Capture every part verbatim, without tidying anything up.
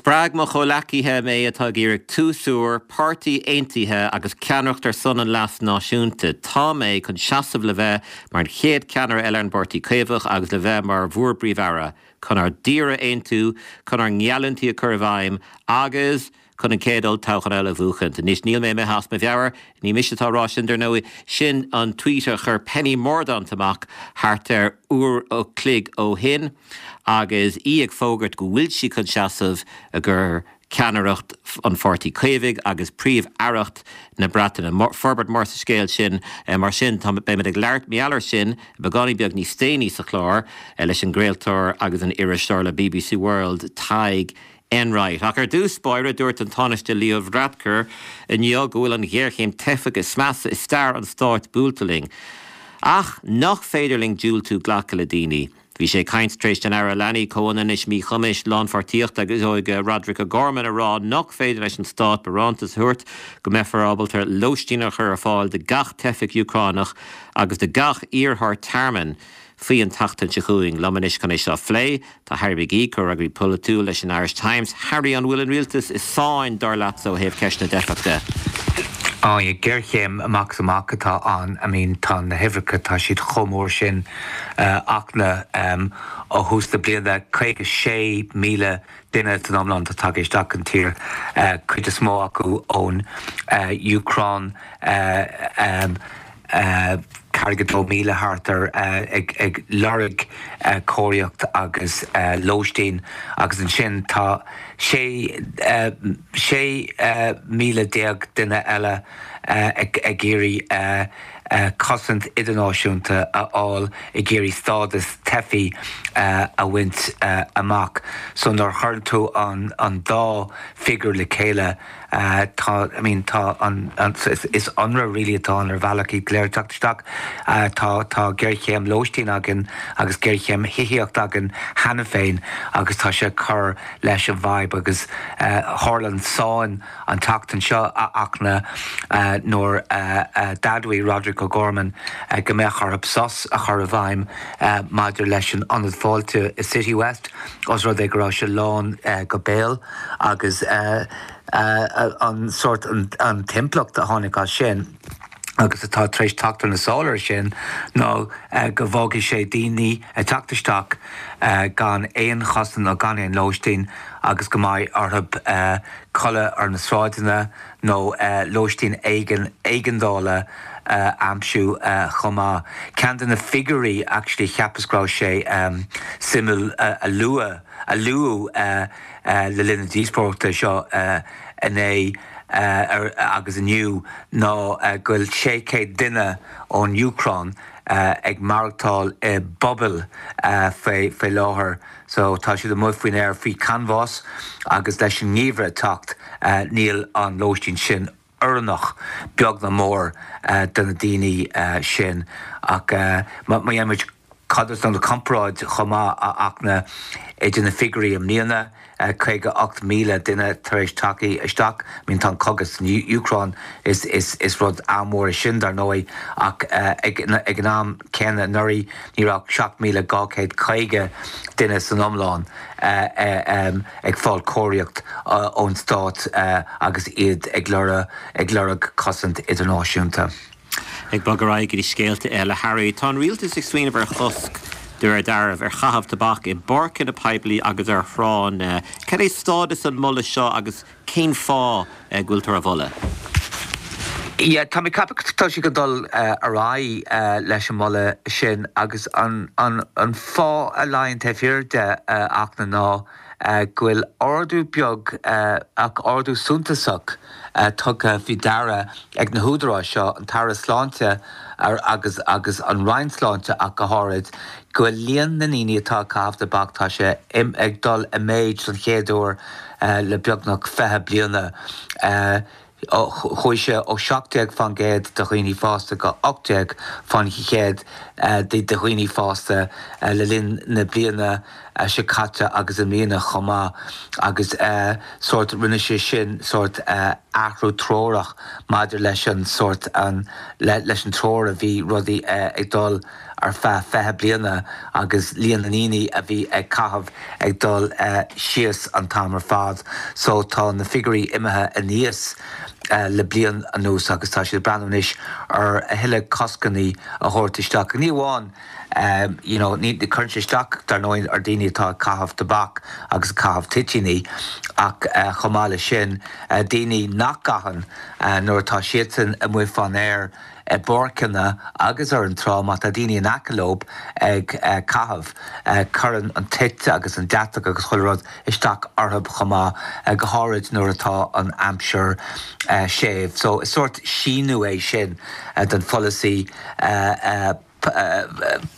Spreag mo chomhleacaithe mé atá ag iarraidh tús úr, páirtí aontaithe agus ceannaireacht ar son an leas náisiúnta. Tá mé chun seasamh le bheith mar an chéad cheannaire eile ar an bPáirtí Caomhach agus le bheith mar bhur bPríomh-Aire, chun ár dtír a aontú, chun ár ngeallúintí a chur i bhfeidhm agus chun an chéad olltoghchán eile a bhuachaint. Anois níl mé imithe as mo mheabhair, ní mise atá á rá sin dar ndóigh sin an tweet a chuir Penny Mordaunt amach thart ar uair an chloig ó shin agus í ag fógairt go bhfuil sí chun seasamh i gcomhair ceannaireacht an Pháirtí Caomhaigh agus príomh-aireacht na Breataine. Forbairt mór sa scéal sin mar sin tá beimid ag labhairt mar gheall air sin beagáinín beag níos déanaí sa chlár leis an gcraoltóir agus an iriseoir le BBC World Tadhg Enright. Ach ar dtús báire dúirt an Tánaiste Leo Varadkar inniu go bhfuil an ghéarchéim teifeach is measa i stair an stáit buailte linn. Ach nach féidir linn diúltú glacadh le daoine. Bhí sé ag caint tar éis don Aire Leanaí Comhionannais Míchumais Lánpháirtíochta agus Óige Roderick O'Gorman a rá nach féidir leis an stát barántas a thabhairt go mbeifear ábalta lóistín a chur ar fáil do gach teifeach Úcránach agus do gach iarrthóir tearmainn faoi an tseachtain seo chugainn liom anois chun é seo a phlé Tá Harry McGee comhfhreagraí polaitiúil leis an Irish Times. Harry an bhfuil an rialtas i sáinn dar leat ó thaobh ceist na dteifeach de. Á géarchéim amach is amach atá ann I mean tá na huimhreacha tá siad chomh mór sin ach na ó thús na bliana caoga sé míle duine san iomlán atá tagtha isteach an tír cuid is mó acu ón Úcráin ceathracha dó míle thart ar ag ag lorg cóiríocht agus lóistín agus ansin tá sé sé míle déag duine eile ag ag iarraidh cosaint idirnáisiúnta a fháil ag iarraidh stádas teifigh a bhaint amach so nuair a chuireann tú an an dá figiúr le chéile tá I mean tá an is ionradh really atá an ar bhealach iad go léir teacht isteach tá tá géarchéim lóistín againn agus géarchéim thithíocht againn cheana féin agus tá sé cur leis an bhfadhb agus tharla an sáinn an tseachtain seo a achna nuair d'admhaigh Roderick O'Gorman go mbeadh orthu sos a chur i bhfeidhm maidir leis an ionad fáilte i City West os rud é go raibh sé lán go béal agus an sort an t-impleacht a tháinig as sin agus atá tar éis teacht ar na sála sin ná go bhfágfaidh sé daoine ag teacht isteach gan aon chosaint nó gan aon lóistín agus go mbeidh orthu codladh ar na sráideanna nó lóistín éigean éigeandála aimsiú chomh maith. Ceann de na figiúirí actually cheapas go raibh sé suimiúil a lua a luadh le linn na díospóireachta seo inné agus inniu ná go bhfuil sé chéad duine ón Úcráin ag maireachtáil i bpubaill faoi faoi láthair so tá siad amuigh faoin aer faoi chanbhás agus leis an ngeimhreadh teacht níl an lóistín sin oiriúnach beag ná mór do na daoine sin ach má dhéanaimid codas nó comparáid chomh maith ach na idir na figiúirí i mbliana caoga ocht míle duine tar éis teacht isteach I mean tá an cogadh san Úcráin is is is rud an-mhór sin dar ndóigh ach ag ag an am céanna anuraidh ní raibh seacht míle dhá chéad caoga duine san iomlán ag fáil cóiríocht ón stát agus iad ag lorg ag lorg cosaint idirnáisiúnta. Ag bogadh ar aghaidh go dtí scéalta eile Harry, Tá an rialtas ag smaoineamh ar chosc de réir dealraimh ar chaitheamh tobac i bpáirceanna poiblí agus ar thránna. Cad é stádas an mholadh seo agus cén fáth go bhfuiltear á mholadh? Yeah, tá mé ag ceapadh tá sé ag dul ar aghaidh leis an moladh sin agus an an an fáth a luíonn taobh thiar de ach na ná go bhfuil ardú beag ach ardú suntasach tugtha faoi deara ag na húdaráis seo an tAire Sláinte agus agus an Roinn Sláinte ach go háirid go bhfuil líon na ndaoine atá ag caitheamh tobac tá sé ag dul i méid don chéad uair le beagnach fiche bliana. Chuaigh sé ó seacht déag faoin gcéad de dhaoine fásta go ocht déag faoin chéad de dhaoine fásta le linn na bliana seo caite agus i mbliana chomh maith agus sort rinne sé sin sort athrú treorach maidir leis an sort an leis an treoir a bhí rudaí ag dul ar feadh fiche bliana agus líon na ndaoine a bhí ag caitheamh ag dul síos an t-am ar fad. So tá na figiúirí imithe aníos le bliain anuas agus tá siad ag breathnú anois ar a thuilleadh coscanna a thabhairt isteach. Ní amháin you know, ní cuireann sé isteach dar ndóigh ar daoine atá ag caitheamh tobac agus ag caitheamh toitíní ach chomh maith leis sin daoine nach gcaitheann nuair atá siadsan amuigh fán aer i bpáirceanna agus ar an trá má tá daoine in aice leo ag caitheamh cuireann an toit agus an deatach agus chuile rud isteach orthu chomh maith go háirid nuair atá an aimsir séimh. So is sórt síniú é sin den pholasaí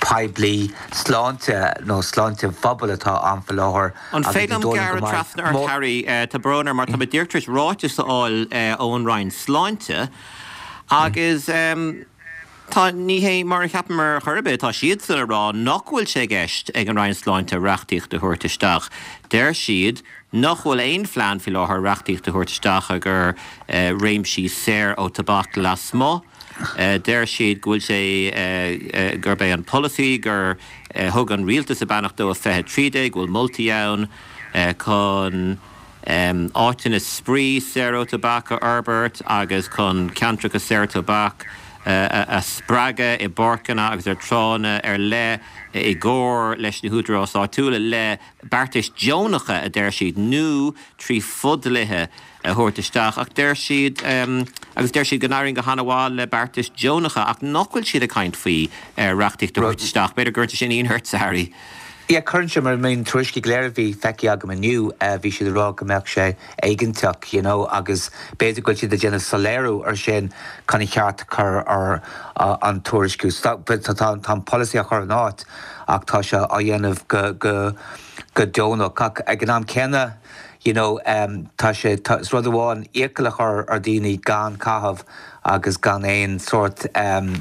poiblí sláinte nó sláinte phobail atá ann faoi láthair. An féidir liom gearradh trasna ort Harry, tá brón orm mar tá mé díreach tar éis ráiteas a fháil ón Roinn Sláinte agus tá ní hé mar a cheapamar ar chor ar bith, tá siadsan ag rá nach bhfuil sé i gceist ag an Roinn Sláinte reachtaíocht a thabhairt isteach. Deir siad nach bhfuil aon phlean faoi láthair reachtaíocht a thabhairt isteach ag réimsí saor ó tobac lasmuigh. Deir siad go bhfuil sé gurb é an polasaí gur thug an rialtas a beannacht dó i fiche trí déag, go bhfuil moltaí ann chun áiteanna spraoi saor ó tobac a fhorbairt agus chun ceantracha saor tobac a spreagadh i bpáirceanna agus ar tránna ar leith i gcomhar leis na húdaráis áitiúla le beartais deonacha a deir siad nó trí fhodhlíthe a thabhairt isteach ach deir siad agus deir siad go n-éiríonn go han-mhaith le beartais deonacha ach nach bhfuil siad ag caint faoi reachtaíocht a thabhairt isteach. B'fhéidir go gcuireann sé sin ionadh ort, a Harry. Yeah, cuireann sé mar na tuairiscí go léir a bhí feicthe agam inniu, bhí siad ag rá go mbeadh sé éigeantach, you know, agus b'fhéidir go bhfuil siad ag déanamh soiléiriú ar sin chun an cheart a chur ar an tuairisciú. Tá an polasaí á chur in áit ach tá sé á dhéanamh go go go deonach. Ach ag an am céanna, you know, um, tá sé is rud amháin iachall a chur ar daoine gan caitheamh agus gan aon sórt um,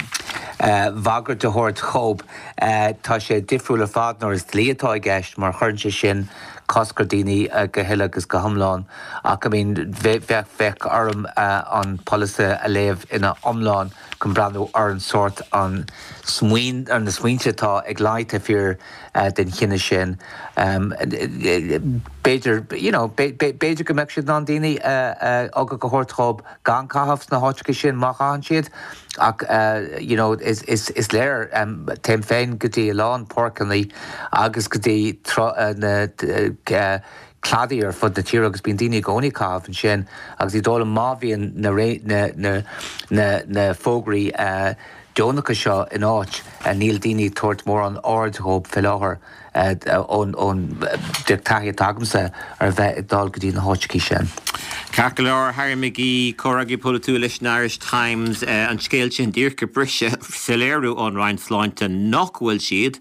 uh, bhagairt a thabhairt dóibh. Uh, tá sé difriúil ar fad nuair is dlí atá i gceist mar chuireann sé sin cosc ar daoine uh, go huile agus go hiomlán ach I mean bheadh bheadh orm uh, an polasaí a léamh ina iomlán chun breathnú ar an sórt an smaoin ar na smaointe atá ag luí taobh thiar uh, den chinneadh sin. Um, B'fhéidir you know, b'fhéidir go mbeadh siad ná daoine aga go thabhairt dóibh gan caitheamh sna háiteacha sin má chaitheann siad ach uh, you know, is, is, is léir um, téim féin go dtí a lán páirceanna agus go dtí uh, na uh, cladaí ar fud na tíre agus bíonn daoine i gcónaí ag caitheamh ansin agus i dóla má bhíonn na, na, na, na, na fógraí uh, deonacha seo in áit uh, níl daoine ag tabhairt mórán aird dóibh faoi láthair ón ón taithí atá agamsa ar bheith ag dul go dtí na háiteacha sin. Ceart go leor Harry McGee comhfhreagraí polaitiúil leis an Irish Times an scéal sin díreach ag briseadh soiléiriú ón Roinn Sláinte nach bhfuil siad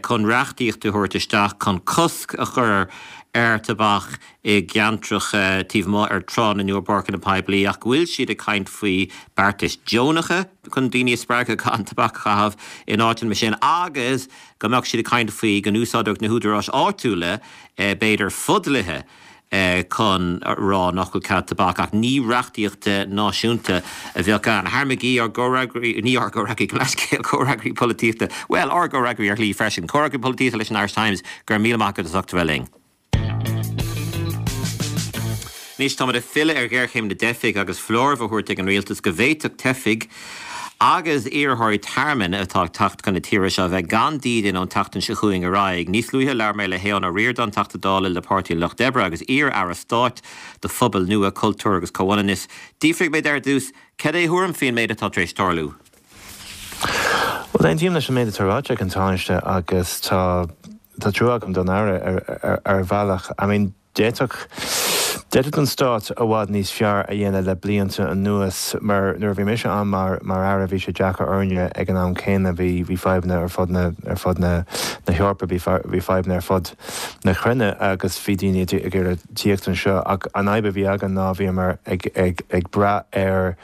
chun reachtaíocht a thabhairt isteach chun cosc a chur ar tobac i gceantracha taobh amuigh ar tránna nó i bpáirceanna poiblí ach go bhfuil siad ag caint faoi beartais deonacha chun daoine a spreagadh gan tobac a chaitheamh in áiteanna mar sin agus go mbeadh siad ag caint faoi go n-úsáidfeadh na húdaráis áitiúla b'fhéidir fodhlíthe chun rá nach bhfuil cead tobac ach ní reachtaíocht náisiúnta a bheadh ann. Harry McGee ár gcomhfhreagraí ní ár gcomhfhreagraí comhfhreagraí polaitíochta, well ár gcomhfhreagraí ar shlí freisin, comhfhreagraí polaitíochta leis an Irish Times go raibh míle maith agat as ucht a bheith linn. Anois táimid ag filleadh ar ghéarchéim na dteifigh agus foláireamh á thabhairt ag an rialtas go bhféadfadh teifigh agus iarrthóirí tearmainn atá ag teacht chun na tíre seo bheith gan dídean ón tseachtain seo chugainn ar aghaidh. Níos luaithe labhair mé le hAodhán Ó Ríordáin, Teachta Dála le Páirtí an Lucht Oibre agus iar-aire stáit do Phobail Nua, Cultúr agus Comhionannas. D'fhiafraigh mé de ar dtús, cad é do thuairim faoin méid atá tar éis tarlú? Well, aontaím leis an méid atá ráite ag an Tánaiste agus tá tá trua agam don aire ar, ar, ar bhealach. I mean, d'fhéadfadh D'fhéadfadh an stát i bhfad níos fearr a dhéanamh le blianta anuas mar nuair a bhí mise ann mar mar aire bhí sé deacair orainne ag an am céanna bhí bhí fadhbanna ar fud na ar fud na na hEorpa bhí bhí fadhbanna ar fud na cruinne agus bhí daoine ag iarraidh tíocht anseo ach an fhadhb a bhí againn ná bhíomar ag ag ag brath ar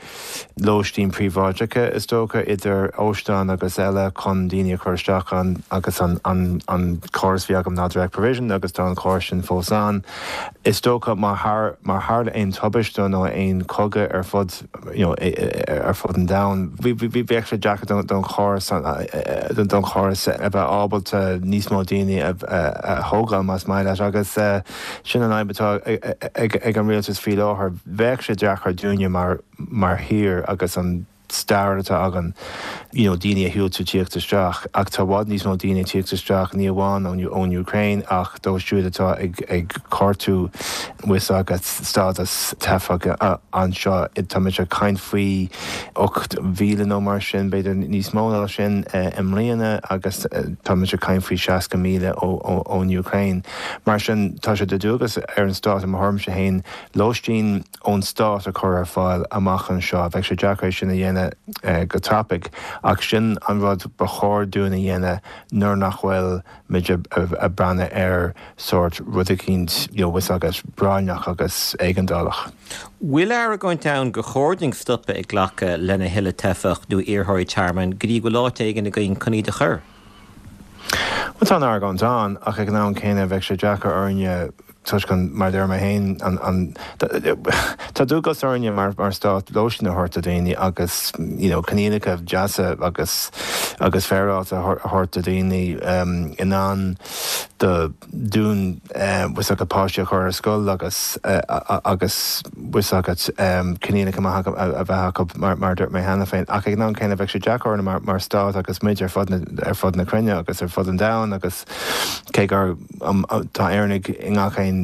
lóistín príobháideacha is dócha idir óstáin agus eile chun daoine a chur isteach an agus an an an córas bhí agam ná direct provision agus tá an córas sin fós ann. Is dócha má thar má tharla aon tubaiste nó aon chogadh ar fud you know, ar fud an domhain, bhí bheadh sé deacair don don chóras don chóras a bheith ábalta níos mó daoine a thógáil más maith leat agus sin an fhadhb atá ag an rialtas faoi láthair bheadh sé deacair dúinne mar mar thír agus an stair atá againn you know, daoine a dhiúltú tíocht isteach ach tá i bhfad níos mó daoine tíocht isteach ní amháin ón ón Ukraine ach dóibh siúd atá ag ag cuartú bhfuil agat stádas teifeach anseo tá muid ag caint faoi ocht mhíle nó mar sin b'fhéidir níos mó ná sin i mbliana agus tá muid ag caint faoi seasca míle ón Ukraine. Mar sin tá sé de dualgas ar an stát i mo thuairimse féin lóistín ón stát a chur ar fáil amach anseo bheadh sé deacair sin a dhéanamh go tapaidh ach sin an rud ba chóir dúinn a dhéanamh nuair nach bhfuil muid ag breathnú ar sórt rud eicínt you know, agus práinneach agus éigeandálach. Bhfuil argóint ann gur chóir dúinn stopadh ag glacadh lena thuilleadh teifeach nó iarrthóirí tearmainn go dtí go bhfuil áit éigin againn chun iad a chur? Well tá an argóint ann ach ag an am céanna bheadh sé deacair orainne toisc an mar deir mé féin an an tá dualgas orainne mar mar stát lóistín a thabhairt do daoine agus you know coinníollacha deasa agus agus féaráilte a thabhairt do daoine um, in ann do dúinn um, bhfuil agat páistí a chur ar scoil agus uh, agus bhfuil agat um, coinníollacha maith a bheith acu mar mar dúirt mé cheana féin ach ag an am céanna bheadh sé deacair orainne mar mar stát agus muid ar fud na ar fud na cruinne agus ar fud an domhain agus cé gur um, tá Éireannaigh i ngach aon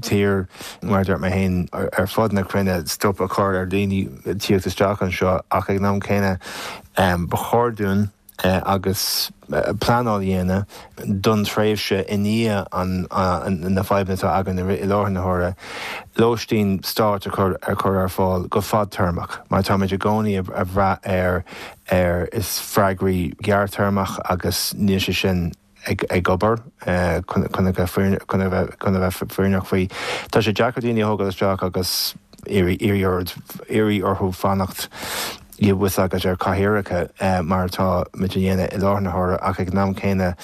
tír mar dúirt mé féin ar fud na cruinne stop a chur ar daoine tíocht isteach anseo ach ag an am céanna um, ba chóir dúinn uh, agus uh, pleanáil dhéanamh don tréimhse i ndiaidh an uh, na fadhbanna atá againn i láthair na huaire lóistín stáit a chur ar chur ar fáil go fadtéarmach mar táimid i gcónaí ag brath ar ar is freagraí gearrthéarmach agus níl sé sin ag ag obair chun a bheith fírinneach faoi. Tá sé deacair daoine a thógáil isteach agus iarraidh orthu fanacht bhfuil agat ar cathaoireacha mar atá muid a dhéanamh i láthair na huaire ach ag an am céanna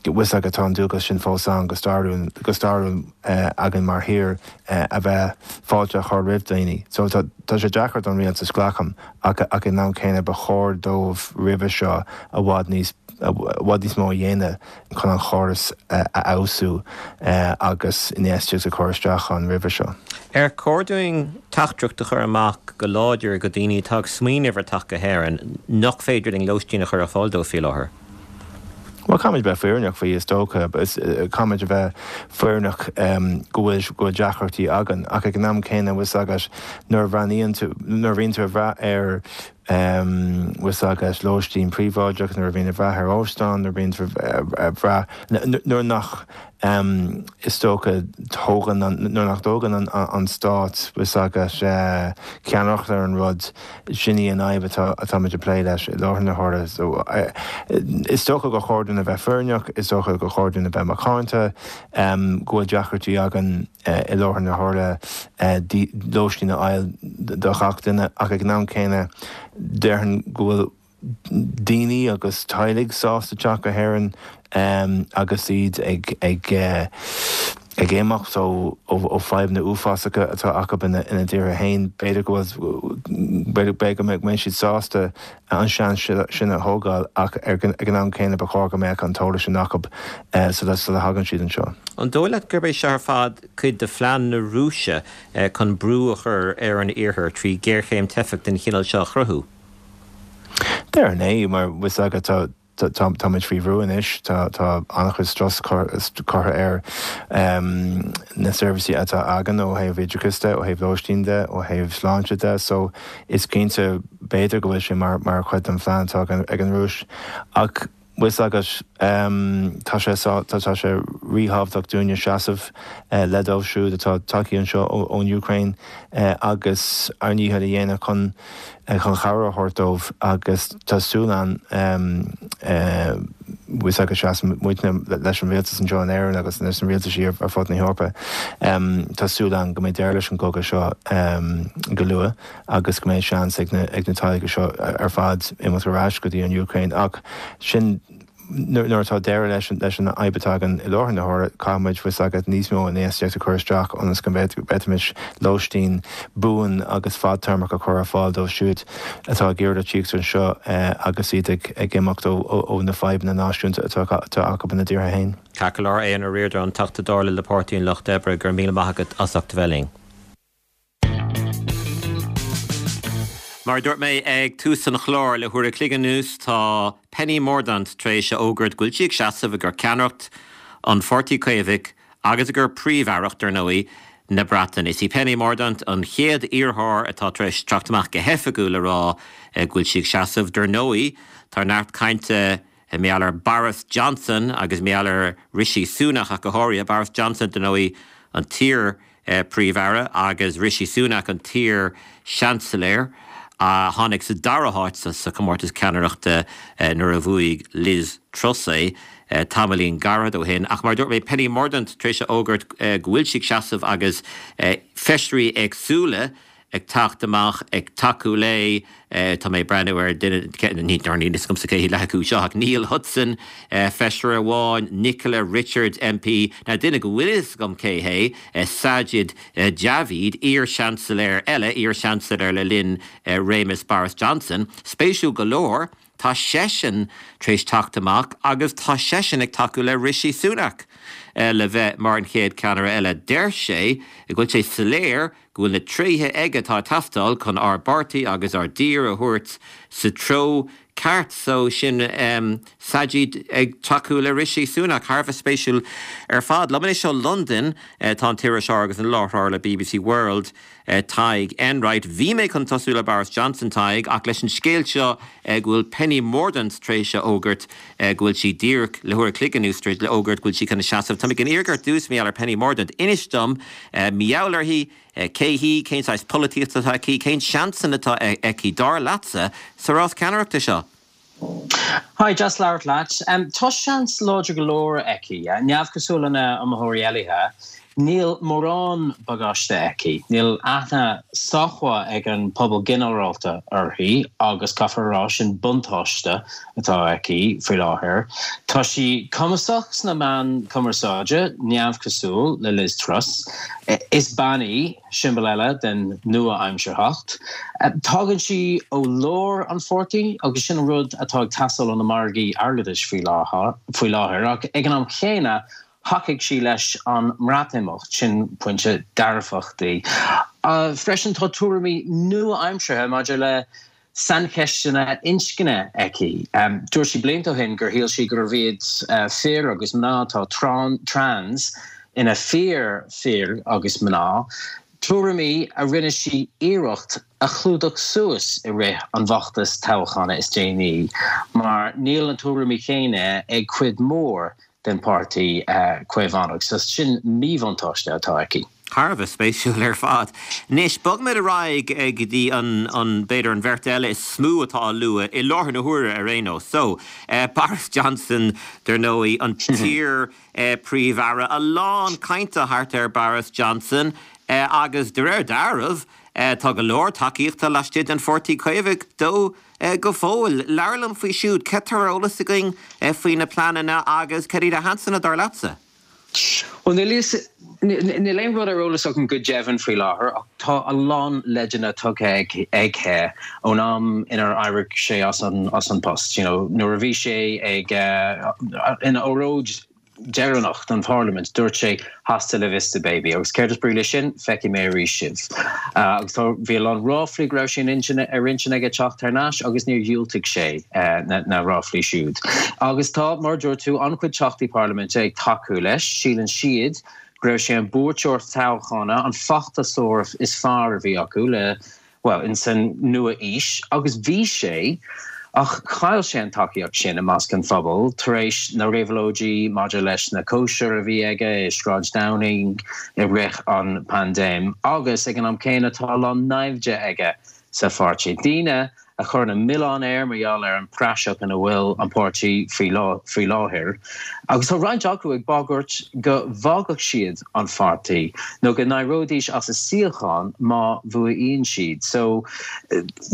bhfuil agat tá an dualgas sin fós ann go stairiúil go stairiúil againn mar thír a bheith fáilte a chur roimh daoine. So tá sé deacair don rialtas glacaim ach ach ag an am céanna ba chóir dóibh roimhe seo i bhfad níos i bhfad níos mó a dhéanamh chun an chóras a fheabhsú agus infheistíocht a chur isteach ann roimhe seo. Ar chóir dúinn teachtaireacht a chur amach go láidir go daoine atá ag smaoineamh ar theacht go hÉirinn nach féidir linn lóistín a chur ar fáil dóibh faoi láthair? Well caithfimid bheith fírinneach faoi is dócha caithfimid a bheith fírinneach go bhfuil go bhfuil deacrachtaí againn ach ag an am céanna bhfuil agat nuair a bhreathnaíonn tú nuair a bhíonn tú ag brath ar bhfuil agat lóistín príobháideach nuair a bhíonn ag brath ar óstán nuair a bhíonn ag brath nuair nach is dócha tógann nuair nach dtógann an stát bhfuil agat ceannaireacht ar an rud sin í an fhadhb atá atáimid ag plé leis i láthair na huaire. So is dócha gur chóir dúinn a bheith fírinneach, is dócha gur chóir dúinn a bheith macánta, go bhfuil deacrachtaí againn i láthair na huaire lóistín a fháil do gach duine ach ag an am céanna déarfainn go bhfuil daoine agus teaghlaigh sásta teacht go hÉirinn agus iad ag ag ag imeacht ó ó fadhbanna uafásacha atá acu ina ina dtíortha féin. B'fhéidir go bhfuil b'fhéidir go mbeidh siad sásta an seans sin a thógáil ach ag an am céanna ba chóir go mbeadh an t-eolas sin acu sula sula thagann siad anseo. An dóigh leat gurb é seo ar fad cuid de phlean na Rúise chun brú a chur ar an Iarthar trí ghéarchéim teifeach den chineál seo a chruthú? Déarfainn é mar bhfuil agat tá táimid faoi bhrú anois tá tá an-chuid strus curtha ar na seirbhísí atá againn ó thaobh oideachais de, ó thaobh lóistín de, ó thaobh sláinte de, so is cinnte b'fhéidir go bhfuil sé mar mar chuid den phlean atá ag an Rúis. Ach bhfuil agat tá sé tá sé ríthábhachtach dúinne seasamh le dóibh siúd atá tagtha anseo ón Ukraine agus ár ndícheall a dhéanamh chun chun cabhair a thabhairt dóibh agus tá súil ann bhfuil agat seasann muidne leis an rialtas anseo in Éirinn agus leis an rialtaisí ar fud na hEorpa. Tá súil ann go mbeidh deireadh leis an gcogadh seo go luath agus go mbeidh seans ag na ag na teaghlaigh seo ar fad imeacht ar ais go dtí an Ukraine ach sin nuair atá deireadh leis leis an fhadhb atá againn i láthair na huaire caithfimid fhios agat níos mó infheistíocht a chur isteach ionas go bhféadfaimis lóistín buan agus fadtéarmach a chur ar fáil dóibh siúd atá ag iarraidh tíocht anseo agus iad ag ag imeacht ó ó na fadhbanna náisiúnta atá atá acu ina dtíortha féin. Ceart go leor Aodhán Ó Ríordáin, an Teachta Dála le Páirtí an Lucht Oibre, go raibh míle maith agat as ucht a bheith linn. Mar a dúirt mé ag tús an chláir le huair a chloig anuas tá Penny Mordaunt tar éis a fhógairt go bhfuil sí ag seasamh i gcomhair ceannaireacht an Pháirtí Caomhaigh agus i gcomhair Príomh-Aireacht, ar ndóigh, na Breataine. Is í Penny Mordaunt an chéad iarrthóir atá tar éis teacht amach go hoifigiúil le rá go bhfuil sí ag seasamh. Dar ndóigh, tá neart cainte mar gheall ar Boris Johnson agus mar gheall ar Rishi Sunak ach go háirithe. Boris Johnson, dar ndóigh, an t-iar Príomh-Aire agus Rishi Sunak an t-iar Seansailéir a tháinig sa dara háit sa chomórtas ceannaireachta nuair a bhuaigh Liz Truss é tamaillín gairid ó shin. Ach mar dúirt mé Penny Mordaunt tar éis a fhógairt go bhfuil sí ag seasamh agus feisirí éagsúla ag teacht amach ag tacú léi tá mé ag breathnú ar duine ní níl agamsa cé hiad leath acu seo ach Neil Hudson feisire amháin Nicola Richards MP na duine go bhfuil fhios agam cé hé Sajid Javid iar-Seansailéir eile iar-Seansailéir le linn réimeas Boris Johnson spéisiúil go leor tá seisean tar éis teacht amach agus tá seisean ag tacú le Rishi Sunak le bheith mar an chéad ceannaire eile. Deir sé go bhfuil sé soiléir go bhfuil na tréithe aige atá ag teastáil chun ár bpáirtí agus ár dtír a thabhairt sa treo ceart so sin um, Sajid ag tacú le Rishi Sunak thar a bheith spéisiúil ar fad. Liom anois ó London uh, tá an t-iriseoir agus an láithreoir le BBC World uh, Tadhg Enright. Bhí mé chun tosú le Boris Johnson Tadhg ach leis an scéal seo uh, go bhfuil Penny Mordaunt tar éis a fhógairt uh, go bhfuil sí díreach le huair a chloig anuas le fhógairt go bhfuil sí chun seasamh. Tá ag iarraidh ar dtús mar gheall ar Penny Mordaunt. Inis dom uh, mar gheall uirthi cé hí cén saghas polaitíochta atá aici cén seansanna atá aici dar leatsa sa rás ceannaireachta seo. Hi, deas labhairt leat. Um, tá seans láidir go leor aici, neamhchosúil lena iomaitheoirí eile. Níl mórán bagáiste aici. Níl aithne sách maith ag an pobal ginearálta uirthi agus caithfear rá sin buntáiste atá aici faoi láthair. Tá sí cumasach sna meáin chumarsáide neamhchosúil le Liz Truss. Is bean í siombail eile den nua-aimsearthacht. Tagann sí ó lár an pháirtí agus sin rud atá ag teastáil ó na margaí airgeadais faoi láthair ach ag an am chéanna thacaigh sí leis an mBreatimeacht sin pointe dearfach di. Uh, freisin tá tuairimí nua-aimseartha maidir le saincheisteanna inscne aici. Um, Dúirt sí blianta ó shin gur shíl sí gurbh iad uh, fir agus mná atá trans ina fíor fir agus mná. Tuairimí a rinne sí iarracht a chlúdach suas i rith an bhfeachtais toghcháin is déanaí, mar níl an tuairimí céanna ag cuid mór den páirtí uh, Caomhánach, so sin míbhuntáiste atá aici. Thar a bheith spéisiúil ar fad. Anois bogfaimid ar aghaidh go dtí an an b'fhéidir an bheirt eile is mó atá á lua i láthair na huaire ar aon nós. So uh, Boris Johnson dar ndóigh an t-iar uh, príomh-aire a lán cainte thart ar Boris Johnson uh, agus de réir dealraimh uh, tá go leor tacaíochta laistigh den Pháirtí Caomhach dó uh, go fóill. Labhair liom faoi siúd cad tá ar eolas againn uh, faoi na pleananna agus cad iad a sheasanna dar leatsa. Well níl aon rud ar eolas agam go deimhin faoi láthair ach tá a lán leideanna tugtha aige ón am inar éirigh sé as an as an post. You know, nuair a bhí sé ag uh, ina óráid deireanach don Parliament dúirt sé hasta la vista baby agus céard is brí leis sin feicfidh mé arís sibh. Uh, agus tá bhí an ráflaí go raibh sé ar intinn aige teacht thar n-ais agus níor dhiúltaigh sé uh, na, na ráflaí siúd. Agus tá mar dúirt tú an-chuid teachtaí parlaiminte ag tacú leis, síleann siad go raibh sé an buaiteoir toghchána an feachtasóir is fearr a bhí acu le well in san nua-aois agus bhí sé ach chaill sé an tacaíocht sin i measc an phobail tar éis na réabhlóidí maidir leis na cóisir a bhí aige i Sráid Downing i rith an paindéim agus ag an am céanna tá a lán naimhde aige sa pháirtí. Daoine a chuireann an milleán air mar gheall ar an praiseach ina bhfuil an páirtí faoi láthair. Agus tá roinnt acu ag bagairt go bhfágfadh siad an pháirtí nó go n-éireoidís as a suíochán má bhuaíonn siad. So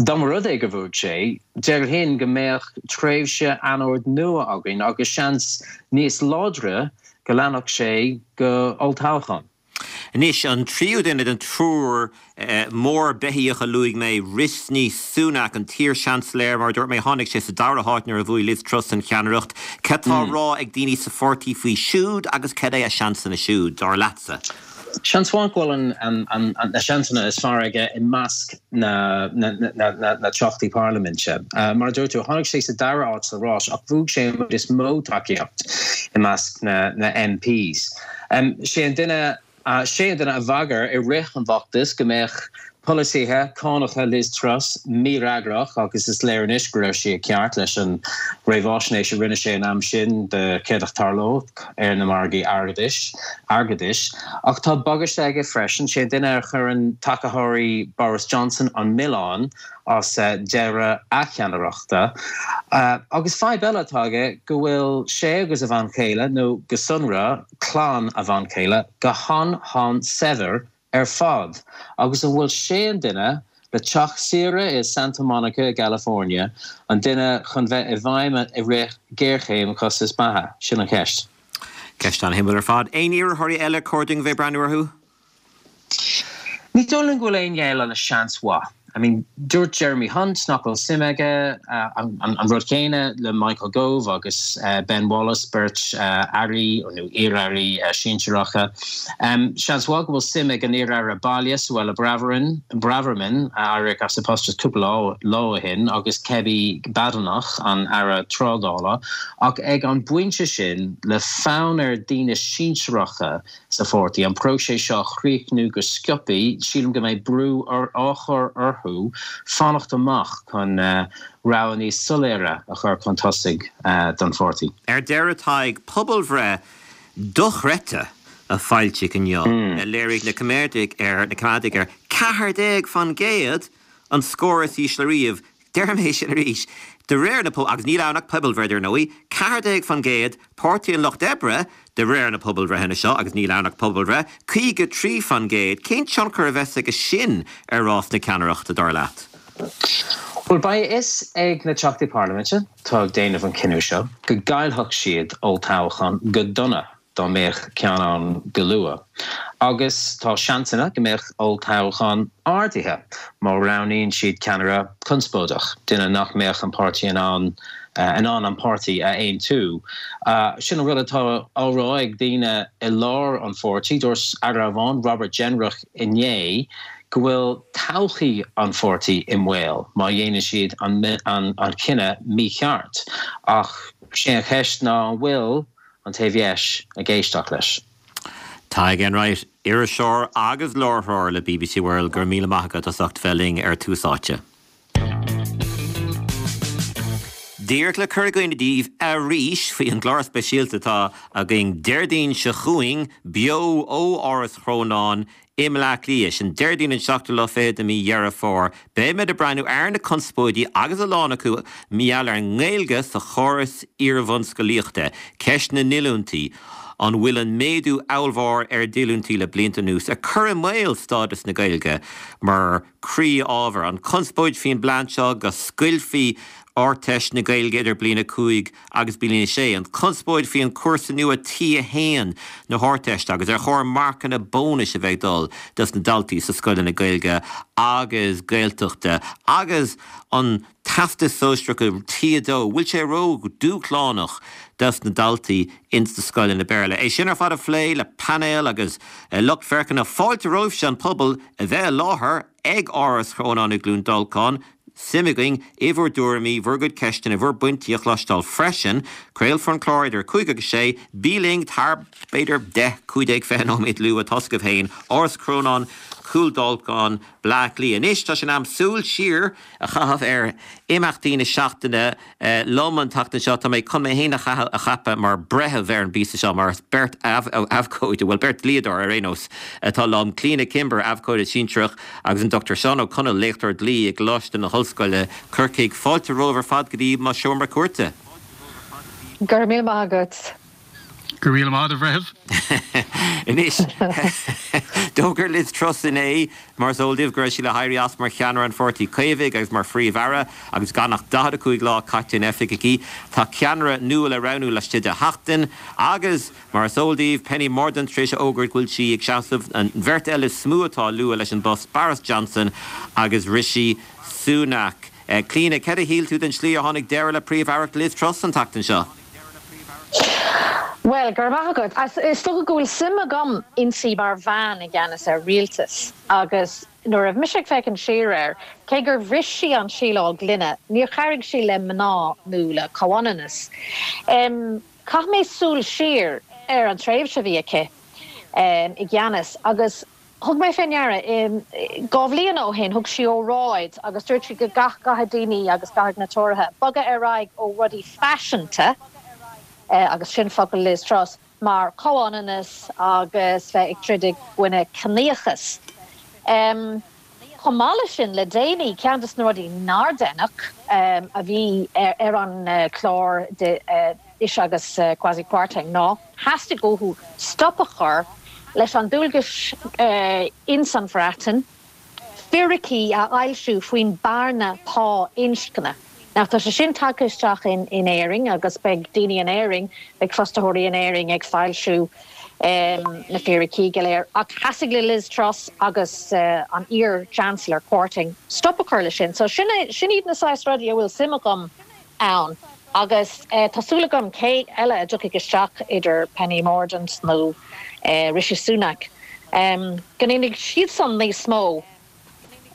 dá mba rud é go bhuaigh sé, déarfainn go mbeadh tréimhse anord nua againn agus seans níos láidre go leanfadh sé go olltoghchán. Anois, an tríú duine den triúr mór beithíoch a luaigh mé, Rishi Sunak, an t-iar-Seansailéir, mar a dúirt mé, tháinig sé sa dara háit nuair a bhuaigh Liz Truss an cheannaireacht. Cad tá á rá ag daoine sa pháirtí faoi siúd agus cad é a seansanna siúd, dar leatsa? Seans mhaith go bhfuil na seansanna is fearr aige i measc na dteachtaí parlaiminte. Mar a dúirt tú, tháinig sé sa dara háit sa rás ach bhuaigh sé an is mó tacaíocht i measc na M Ps. Sé an duine sé an duine a bhagair i rith an bhfeachtais go mbeadh polasaithe cánacha Liz Truss mífhreagrach agus is léir anois go raibh sé ceart leis an réamhaisnéis a rinne sé an am sin de céard a tharlódh ar na margaí airgeadais airgeadais ach tá bagáiste aige freisin sé duine a chuireann tacaitheoirí Boris Johnson an milleán as deireadh a cheannaireachta. Uh, agus fadhb eile atá aige go bhfuil sé agus a bhean chéile nó go sonrach clann a bhean chéile go han-han-saibhir ar fad agus an bhfuil sé an duine le teach saoire i Santa Monica i California an duine chun bheith i bhfeidhm i rith géarchéim costas beatha sin an cheist. Ceist an-shuimiúil ar fad aon iarrthóirí eile cóir dúinn bheith breathnú orthu? Ní dóigh liom go bhfuil aon eile le seans mhaith. I mean, dúirt Jeremy Hunt nach bhfuil suim aige uh, an, an, an rud céanna le Michael Gove agus uh, Ben Wallace beirt uh, airí nó iar-airí uh, sinsearacha. Um, Seans mhaith go bhfuil suim ag an iar-aire baile Suella Braverman Braverman a d'éirigh as a post cúpla lá ó shin agus Kemi Badenoch an aire trádála ach ag an bpointe sin le fonn ar daoine sinsearacha sa pháirtí an próiseas seo a chríochnú go sciobtha sílim go mbeidh brú ar á chur orthu fanacht amach chun uh, rogha níos soiléire a chur chun tosaigh uh, don pháirtí. Ar deireadh Tadhg pobalbhreith dochreidte a foilsíodh inniu mm. a léirigh na Coimeádaigh ar na Coimeádaigh ar ceathair déag faoin gcéad an scór is ísle riamh Deirim é sin arís. De réir na agus níl ann ach pobalbhreith ar ndóigh, ceathair déag faoin gcéad Páirtí an Lucht Oibre de réir na pobalbhreitheanna seo agus níl ann ach pobalbhreith, caoga trí faoin gcéad, cén tionchar a bheas aige sin ar rás na ceannaireachta dar leat. Well beidh a fhios ag na teachtaí parlaiminte tá ag déanamh an cinneadh seo go gcaillfeadh siad olltoghchán go dona dá mbeadh ceann ann go luath. Agus tá seansanna go mbeadh olltoghchán ardaithe má roghnaíonn siad ceannaire conspóideach, duine nach mbeadh an páirtí in ann uh, in ann an páirtí a aontú. Uh, sin an rud atá á rá ag daoine i lár an pháirtí dúirt aire amháin Robert Jenrick inné go bhfuil todhchaí an pháirtí i mbaol má dhéanann siad an, an, an cinneadh mícheart ach sé an cheist ná an bhfuil an taobh dheis ag éisteacht leis. Tadhg Enright, iriseoir agus láithreoir le B B C World gur míle maith agat as ucht bheith linn ar Tús Áite. Díreach le cur i gcuimhne daoibh arís faoi an gclár speisialta atá againn Déardaoin seo chugainn beo ó Áras Chrónáin i mBleá Cliath sin Déardaoin an seachtú lá fichead de mhí Dheireadh Fómhair. Beimid ag breathnú ar na conspóidí agus a lán acu maidir leis an nGaeilge sa chóras iarbhunscolaíochta, ceist na ndíolúintí, an bhfuil an méadú ollmhór ar dhíolúintí le blianta anuas ag cur i mbaol stádas na Gaeilge mar chroí-ábhar. An conspóid faoin bplean seo go scoiltfí Ardteist na Gaeilge idir bliain a cúig agus bliain a sé. An conspóid faoin chúrsa nua T a haon na hArdteiste agus ar chóir marcanna bónais a bheith ag dul dos na daltaí sa scoileanna Gaeilge agus Gaeltachta agus an Teastas Sóisearach T a dó, bhfuil sé ró-dhúshlánach dos na daltaí ins na scoileanna Béarla. É sin ar fad a phlé le painéal agus lucht féachana fáilte romhaibhse an pobal a bheith i láthair ag Áras Chrónáin i gCluain Dolcáin, suim againn i bhur dtuairimí, bhur gcuid ceisteanna, bhur bpointí a chloisteáil freisin. Craolfar an clár idir cúig agus sé, bí linn tar b'fhéidir deich, cúig déag, fiche nóiméad luath, tá a fhios agaibh féin, Áras Chrónáin, Cúl Dolcáin, Bleá Cliath. Anois tá sé in am súil siar a chaitheamh ar imeachtaí na seachtaine. Liom an tseachtain seo, tá mé chun mé féin a cheapadh mar breitheamh ar an bpíosa seo, mar is beirt abhcóide, bhuel beirt dlíodóir ar aon nós, atá liom, Clíona Kimber, abhcóide sinsearach, agus an Dochtúir Seán Ó Conaill, léachtóir dlí i gColáiste na hOllscoile, Corcaigh. Fáilte romhaibh ar fad go dtí mo sheomra cúirte. Go raibh míle maith agat. Go raibh míle maith, a bhreithimh. Anois, d'fhógair Liz Truss inné, mar is eol daoibh, go raibh sí le héirí as mar cheannaire an Pháirtí Caomhaigh agus mar Phríomh-Aire agus gan ach daichead a cúig lá caite in oifig aici. Tá ceannaire nua le roghnú laistigh de sheachtain agus, mar is eol daoibh, Penny Mordaunt tar éis a fhógairt go bhfuil sí ag seasamh. An bheirt eile is mó atá á lua leis an bpost, Boris Johnson agus Rishi Sunak. Clíona, cad a shíl tú den tslí a tháinig deireadh le Príomh-Aireacht Liz Truss an tseachtain seo? Bhuel, go raibh maith agat. Is dócha go bhfuil suim agam inti mar bhean i gceannas ar rialtas agus nuair a bhí mise ag féachaint siar air, cé gur bhris sí an síleáil gloine, níor chabhraigh sí le mná nó le comhionannas. Chaith mé súil siar ar an tréimhse a bhí aici i gceannas agus thug mé fé ndeara, dhá bhliain ó shin, thug sí óráid agus dúirt sí go gcaithfidh daoine agus caithfidh na Tóraithe bogadh ar aghaidh ó rudaí faiseanta, agus sin focail Liz Truss, mar chomhionannas agus bheith ag troid i gcoinne ciníochas. Chomh maith leis sin, le déanaí, ceann de na rudaí nár deineadh a bhí ar an chlár ise agus Kwasi Kwarteng ná theastaigh uathu stop a chur leis an dualgas ins an Bhreatain fíricí a fhoilsiú faoin bearna pá inscne. Now tá sé sin tagtha isteach in in Éirinn agus beidh daoine in Éirinn, beidh fostaitheoirí in Éirinn ag foilsiú na fíricí go léir. Ach theastaigh le Liz Truss agus an iar-Chancellor Kwarteng stop a chur leis sin. So sin é, sin iad na saghas rudaí a bhfuil suim agam ann. Agus tá súil agam cé eile a dtiocfaidh isteach idir Penny Mordaunt nó Rishi Sunak, go ndéanfaidh siadsan níos mó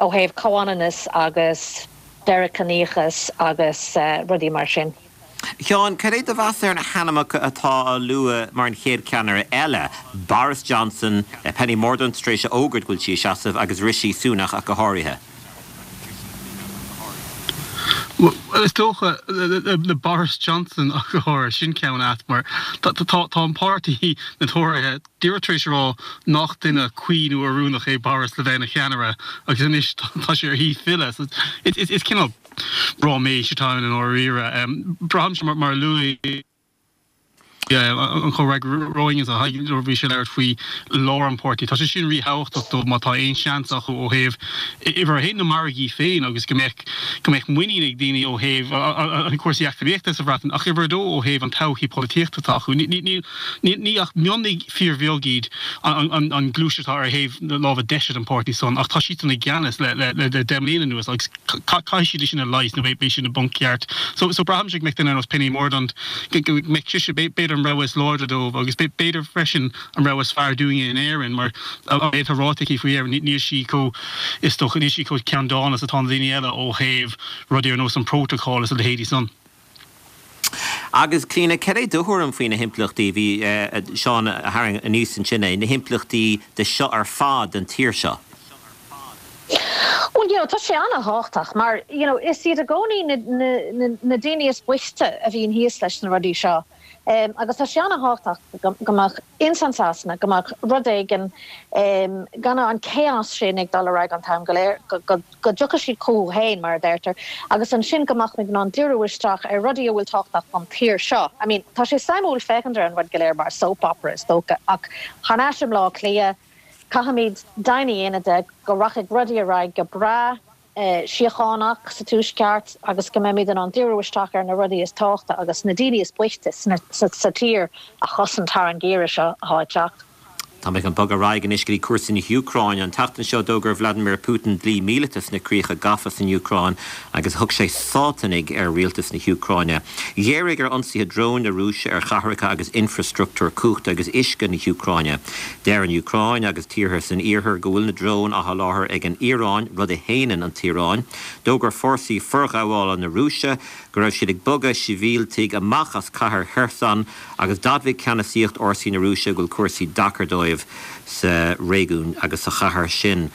ó thaobh comhionannas agus deireadh ciníochas agus rudaí mar sin. Sheáin, cad é do mheas ar na hainmneacha atá á lua mar an chéad cheannaire eile, Boris Johnson, Penny Mordaunt tar éis a fhógairt go bhfuil sí ag seasamh agus Rishi Sunak ach go háirithe? Bhuel, is dócha le Boris Johnson ach go háirithe, sin ceann ait mar tá an páirtí, na Tóraithe, díreach tar éis a rá nach duine cuí nó oiriúnach é Boris le bheith ina cheannaire agus anois tá sé ar thí filleadh. So is cineál ráiméis atá ann i ndáiríre. Braithimse mar a luaigh an comhfhreagraí romhainn nuair a bhí sé ag labhairt faoi lár an pháirtí. Tá sé sin ríthábhachtach dóibh má tá aon seans acu ó thaobh uimhir a haon na margaí féin agus go mbeadh go mbeadh muinín ag daoine ó thaobh an cúrsaí eacnamaíochta sa Bhreatain ach uimhir a dó ó thaobh an todhchaí polaitíochta atá acu. Ní ní ach mionlaigh fíorbheag iad an an gluaiseacht atá ar thaobh na láimhe deise den pháirtí san ach tá siadsan i gceannas le le le deich mbliana anuas agus caithfidh siad é sin a leigheas nó beidh siad i bponc ceart. So so braithimse go mbeadh duine ar nós Penny Mordaunt go mbeadh sise b'fhéidir an rogha is láidre dóibh agus b'fhéidir freisin an rogha is fearr dúinne in Éirinn mar an méid atá ráite aici faoi Éirinn níl sí chomh is dócha níl sí chomh ceanndána is atá na daoine eile ó thaobh rudaí ar nós an prótocol is a leithéidí san. Agus Clíona, cad é do thuairim faoi na himpleachtaí, bhí Seán a tharraing aníos ansin é, na himpleachtaí de seo ar fad don tír seo? Bhuel, you know, tá sé an-thábhachtach mar, you know, is iad i gcónaí na, na, na, na daoine is boichte a bhíonn thíos leis na rudaí seo. Um, agus tá sé an-thábhachtach go, go mbeadh ins an Sasana, go mbeadh rud éigin, um, gan an chaos sin ag dul ar aghaidh an t-am go léir, go, go, go dtiocfaidh siad chucu féin, mar a deirtear, agus ansin go mbeadh muid in ann díriú isteach ar rudaí a bhfuil tábhachtach don tír seo. I mean, tá sé suimiúil féachaint ar an rud go léir mar soap opera is dócha, ach thar n-ais i mBleá Cliath, Caithfimid deimhin a dhéanamh de go rachaidh rudaí ar aghaidh go breá, síochánach sa Tuaisceart agus go mbeimid in ann díriú isteach ar na rudaí is tábhachta agus na daoine is boichte sa tír a chosaint thar an gheimhreadh seo atá ag teacht. Tá mé chun bogadh ar aghaidh anois go dtí cúrsaí na hÚcráine. An tseachtain seo d'fhógair Vladimir Putin dlí míleata sna críocha gafa san Úcráin agus thug sé Sátanaigh ar rialtas na hÚcráine. Ghéaraigh ar ionsaithe dróin na Rúise ar chathracha agus infreastruchtúr cumhachta agus uisce na hÚcráine. Deir an Úcráin agus tíortha san Iarthar go bhfuil na dróin á sholáthar ag an Iaráin, rud a shéanann an tIaráin. D'fhógair fórsaí forghabhála na Rúise go raibh siad ag bogadh sibhialtaigh amach as cathair Kherson agus d'admhaigh ceannasaíocht fhórsaí na Rúise go bhfuil cúrsaí deacair dóibh. dóibh sa réigiún agus sa chathair sin.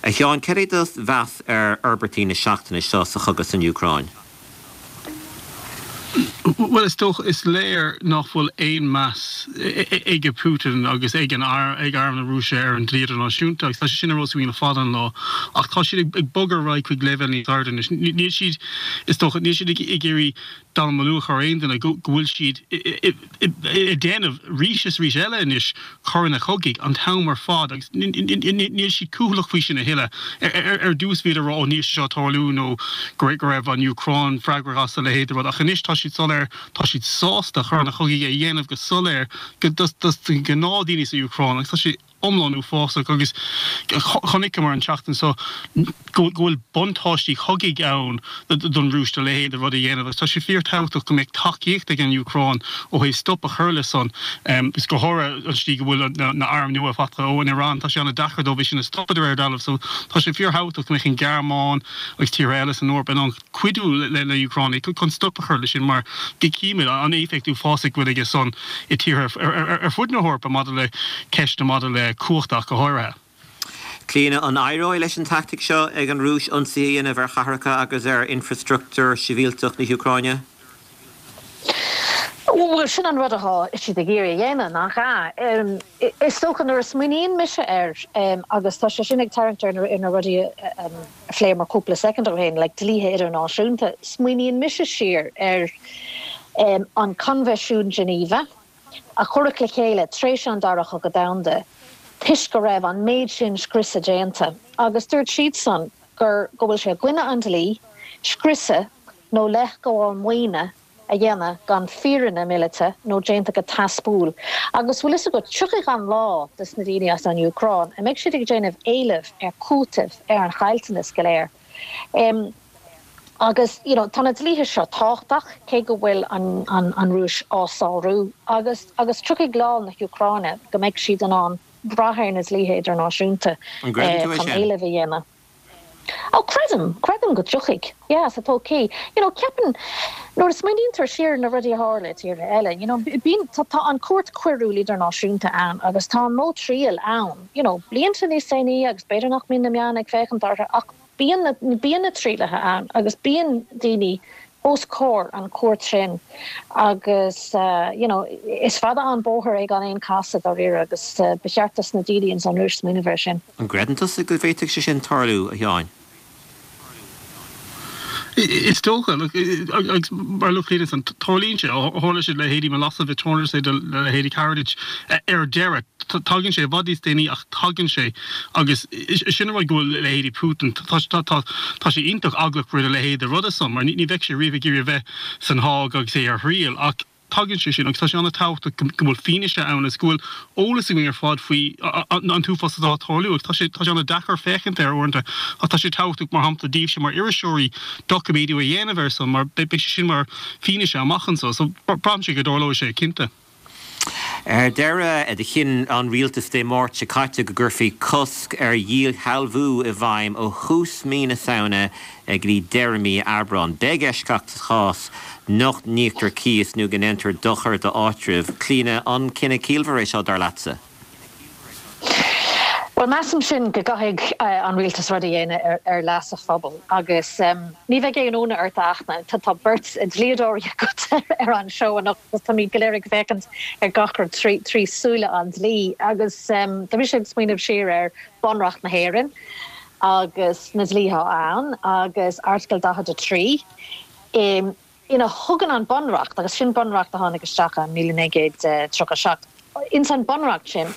A Sheáin, cad é do mheas ar fhorbairtí na seachtaine seo sa chogadh san Úcráin? Bhuel, is dócha, is léir nach bhfuil aon meas ag Putin agus ag an ag arm na Rúise ar an dlí idirnáisiúnta agus tá sé sin á rá againn le fada an lá ach tá siad ag bogadh ar aghaidh chuig leibhéal níos airde anois. Níl siad is dócha níl siad ag iarraidh dallamullóg a chur ar aon duine go bhfuil siad ag déanamh arís is arís eile anois coireanna cogaidh an t-am ar fad agus níl siad cúthaileach faoi sin a thuilleadh. Ar dtús bhíodar ag rá ó níl sé seo ag tarlú nó go raibh an Úcráin freagrach as a leithéid de rud ach anois tá siad soiléir, tá siad sásta coireanna cogaidh a dhéanamh go soiléir dos na gnáthdhaoine sa Úcráin agus tá sé iomlán uafásach agus chonaiceamar an tseachtain seo go bhfuil buntáistí cogaidh ann don Rúis a leithéid de rud a dhéanamh agus tá sé fíorthábhachtach go mbeadh tacaíocht ag an Úcráin ó thaobh stop a chur le san is go háirithe an tslí go bhfuil na hairm nua faighte ón Iaráin tá sé an-deacair dóibh é sin a stopadh de réir dealraimh so tá sé fíorthábhachtach go mbeadh an Ghearmáin agus tíortha eile san Eoraip in ann cuidiú le na Úcránaigh chun stop a chur le sin mar go gcímid an éifeacht uafásach go bhfuil aige san i tíortha ar fud na hEorpa maidir le ceisteanna maidir le cumhacht ach go háirithe. Clíona, an éireoidh leis an tactic seo ag an Rúis ionsaí a dhéanamh ar chathracha agus ar infrastruchtúr sibhialtach na hÚcráine? Bhuel, sin an rud atá siad ag iarraidh a dhéanamh, nach ea? Is dócha nuair a smaoiníonn mise air, agus tá sé sin ag tarraingt ar na rudaí a phléamar cúpla soicind ó shin, like dlíthe idirnáisiúnta, smaoiníonn mise siar ar an Coinbhisiún Geneva a cuireadh le chéile tar éis an Dara Cogadh Domhanda toisc go raibh an méid sin scriosadh déanta agus dúirt siadsan gur go bhfuil sé i gcoinne an dlí scriosadh nó leithghabháil maoine a dhéanamh gan fírinne míleata nó déanta go teaspúil. Agus bhfuil fhios agat, tiocfaidh an lá dos na daoine as an Úcráin a mbeidh siad ag déanamh éileamh ar chúiteamh ar an chaillteanas go léir. Agus you know tá na dlíthe seo tábhachtach, cé go bhfuil an an an Rúis á sárú, agus agus tiocfaidh lá na hÚcráine go mbeidh siad in ann brath ar na dlíthe idirnáisiúnta An gcreideann tú é chun sin? éileamh a dhéanamh. Ó creidim, creidim go dtiocfaidh, yeah, sa todhchaí. You know ceapaim nuair a smaoinítear siar ar na rudaí a tharla i tíortha eile, you know bíonn tá tá an Chúirt Choiriúil Idirnáisiúnta ann agus tá an modh triail ann, you know blianta níos déanaí agus b'fhéidir nach mbíonn na meáin ag féachaint orthu ach Bíonn na bíonn na trialacha ann agus bíonn daoine os comhair an chúirt sin agus you know is fada an bóthar é gan aon casadh dáiríre agus ba cheart dos na daoine ins an Rúis smaoineamh air sin. An gcreideann tusa go bhféadfadh sé sin tarlú, a Sheáin? Is dócha, agus mar a luaigh Clíona ansan, tarlaíonn sé, tharla sé le leithéidí Milosevic, tharla sé do leithéidí Karadzic ar deireadh. Tagann sé i bhfad níos déanaí ach tagann sé agus sin an rud go bhfuil leithéidí Putin, tá sé iontach eaglach roimh a leithéid de ruda san mar ní bheadh sé riamh ag iarraidh a bheith san Háig agus é ar thriail ach tagann sé sin agus tá sé an-tábhachtach go bhfuil fianaise ann agus go bhfuil eolas againn ar fad faoi an t-uafás atá ag tarlú agus tá sé tá sé an-deacair féachaint air uaireanta ach tá sé tábhachtach mar shampla daoibhse mar iriseoirí doiciméadú a dhéanamh air san mar beidh sé sin mar fianaise amach anseo so braithimse go dtarlóidh sé cinnte. Ar deireadh, chinn an rialtas Dé Máirt seo caite go gcuirfí cosc ar dhíshealbhú i bhfeidhm ó thús mí na Samhna go dtí deireadh mí Aibreáin. Beidh eisceacht sa chás nach n-íoctar cíos nó go ndéantar dochar d'áitreabh. Clíona, an cinneadh ciallmhar é seo, dar leatsa? Bhuel, measaim sin go gcaithfidh an rialtas rud a dhéanamh ar leas a phobail agus ní bheidh aon ionadh ort a Fhachtna, tá beirt dlíodóirí agat ar an seó anocht agus táimid go léir ag féachaint ar gach rud trí súile an dlí agus tá mise ag smaoineamh siar ar Bunreacht na hÉireann agus na dlíthe ann agus Airteagal daichead a trí. ina thugann an Bunreacht, agus sin Bunreacht a tháinig isteach i míle naoi gcéad tríocha a seacht, ins an Bunreacht sin,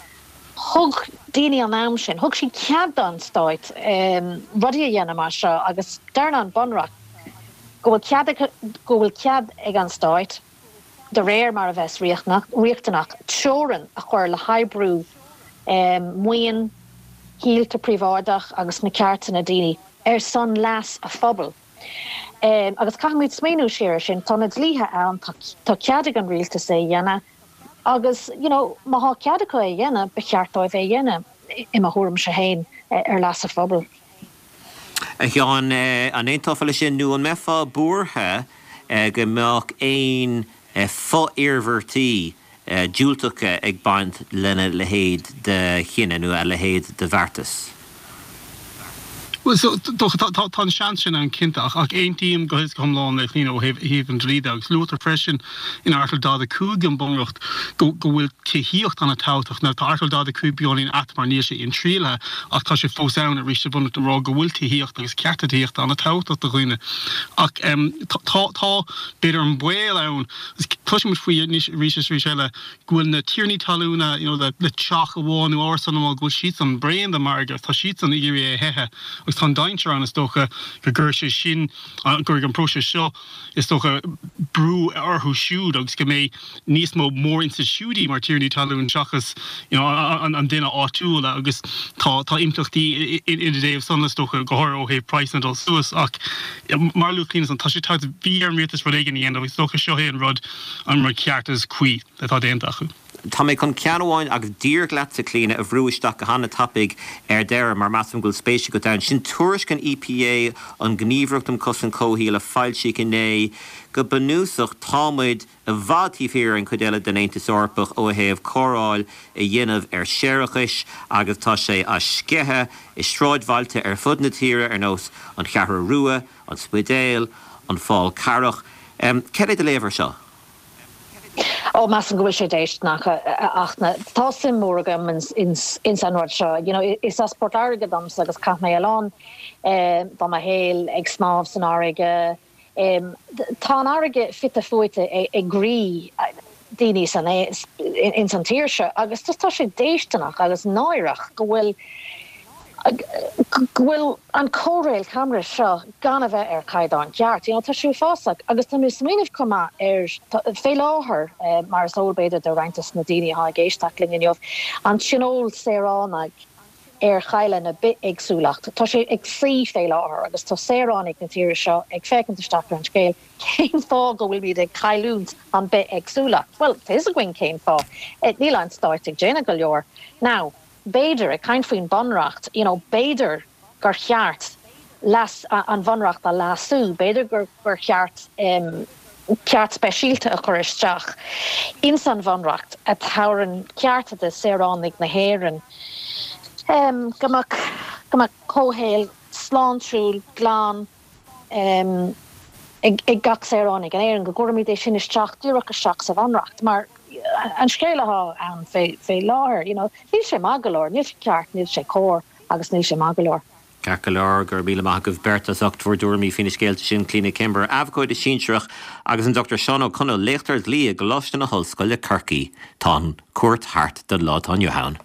thug daoine an am sin, thug siad cead don Stáit rudaí a dhéanamh mar seo agus deireann an Bunreacht go bhfuil cead, go bhfuil cead ag an Stáit, de réir mar a bheas riachtanach, teorainn a chur le hoibriú maoin, thithe príobháideach agus na cearta na daoine ar son leas a phobail. Agus caithfimid smaoineamh siar ar sin, tá na dlíthe ann, tá cead ag an rialtas é a dhéanamh agus you know má thá cead acu é a dhéanamh, ba cheart dóibh é a dhéanamh, i mo thuairimse féin, ar leas a phobail. A Sheáin, an aontófá leis sin nó an mbeifeá buartha go mbeadh aon fo-iarmhairtí diúltacha ag baint lena leithéid de chinneadh nó a leithéid de bheartas. Well so tá an seans sin ann cinnte ach ach aontaím go go hiomlán le Clíona ó thaobh an dlí de agus luaitear freisin in Airteagal daichead a cúig den Bhunreacht go go bhfuil tithíocht an-tábhachtach. Now tá Airteagal daichead a cúig beagáinín ait mar níl sé intriallaithe ach tá sé fós ann arís sa Bhunreacht ag rá go bhfuil tithíocht agus cearta tithíochta an-tábhachtach do dhaoine. Ach tá tá b'fhéidir an baol ann cloisimid faoi anois arís is arís eile go bhfuil na tiarnaí talúna you know le le teach amháin nó árasán amháin go bhfuil siadsan bréan den mhargadh tá siadsan ag iarraidh é a theitheadh agus tá an dainséar ann is dócha go gcuirfidh sé sin go gcuirfidh an próiseas seo is dócha brú orthu siúd agus go mbeidh níos mó mórinstitiúidí mar tiarnaí talún seachas you know an an duine áitiúil agus tá tá impleachtaí ina dtaobh san is dócha go háirithe ó thaobh praghsanna dul suas ach mar a luaigh Clíona tá sé tá bhí ar an rialtas rud éigin a dhéanamh agus is dócha seo é an rud an rud ceart is cuí atá déanta acu. Tá mé chun ceann amháin agus díreach leatsa Clíona a bhrú isteach go han-tapaidh ar deireadh mar measaim go bhfuil spéis agat ann. Sin tuairisc an EPA an Ghníomhaireacht um Chosaint Comhshaoil a foilsíodh inné go bunúsach táimid i bhfad taobh thiar an chuid eile den Aontas Eorpach ó thaobh cóireáil a dhéanamh ar séarachais agus tá sé á sceitheadh i sráidbhailte ar fud na tíre ar nós an Cheathrú Rua, an Spidéal, an Fál Carrach. Cad é do léamh air seo? Ó measaim go bhfuil sé déisteanach ach tá suim mór agam ins ins an rud seo. You know, is as Port Láirge domsa agus chaith mé a lán de mo shaol ag snámh san fharraige. Tá an fharraige fite fuaite i gcroí daoine san ins an tír seo agus just tá sé déisteanach agus náireach go bhfuil go bhfuil an cóireáil camrais seo gan a bheith ar chaighdeán ceart. You know, tá sé uafásach agus tá mé ag smaoineamh chomh maith ar fé láthair eh, mar is eol b'fhéidir do roinnt des na daoine atá ag éisteacht linn inniu, an Tionól Saoránaigh ar chailleadh na bithéagsúlacht. Tá sé ag suí fé láthair agus tá saoránaigh na tíre seo ag féachaint isteach ar an scéal cén fáth go bhfuilimid ag cailliúint an bithéagsúlacht. Well, tá a fhios againn cén fáth. Eh, níl an stát ag déanamh go leor. Now, b'fhéidir ag caint faoin bunreacht, you know, b'fhéidir gur cheart leas an bhunreacht a leasú, b'fhéidir gur gur cheart um, ceart speisialta a chur isteach ins an bhunreacht a thabharann cearta do saoránaigh na hÉireann. Um, go mbeadh go mbeadh comhshaol sláintiúil glan um, ag, ag gach saoránach in Éirinn go gcuirfimid é sin isteach díreach isteach sa bhunreacht mar an scéal atá ann fé fé láthair you know, níl sé maith go leor, níl sé ceart, níl sé cóir agus níl sé maith go leor. Ceart go leor go raibh míle maith agaibh beirt as ucht bhur dtuairimí faoi na scéalta sin Clíona Kimber, abhcóide sinsearach agus an Dr Seán Ó Conaill léachtóir dlí i gColáiste na hOllscoile Corcaigh Tá an cuairt thart don lá atá inniu ann.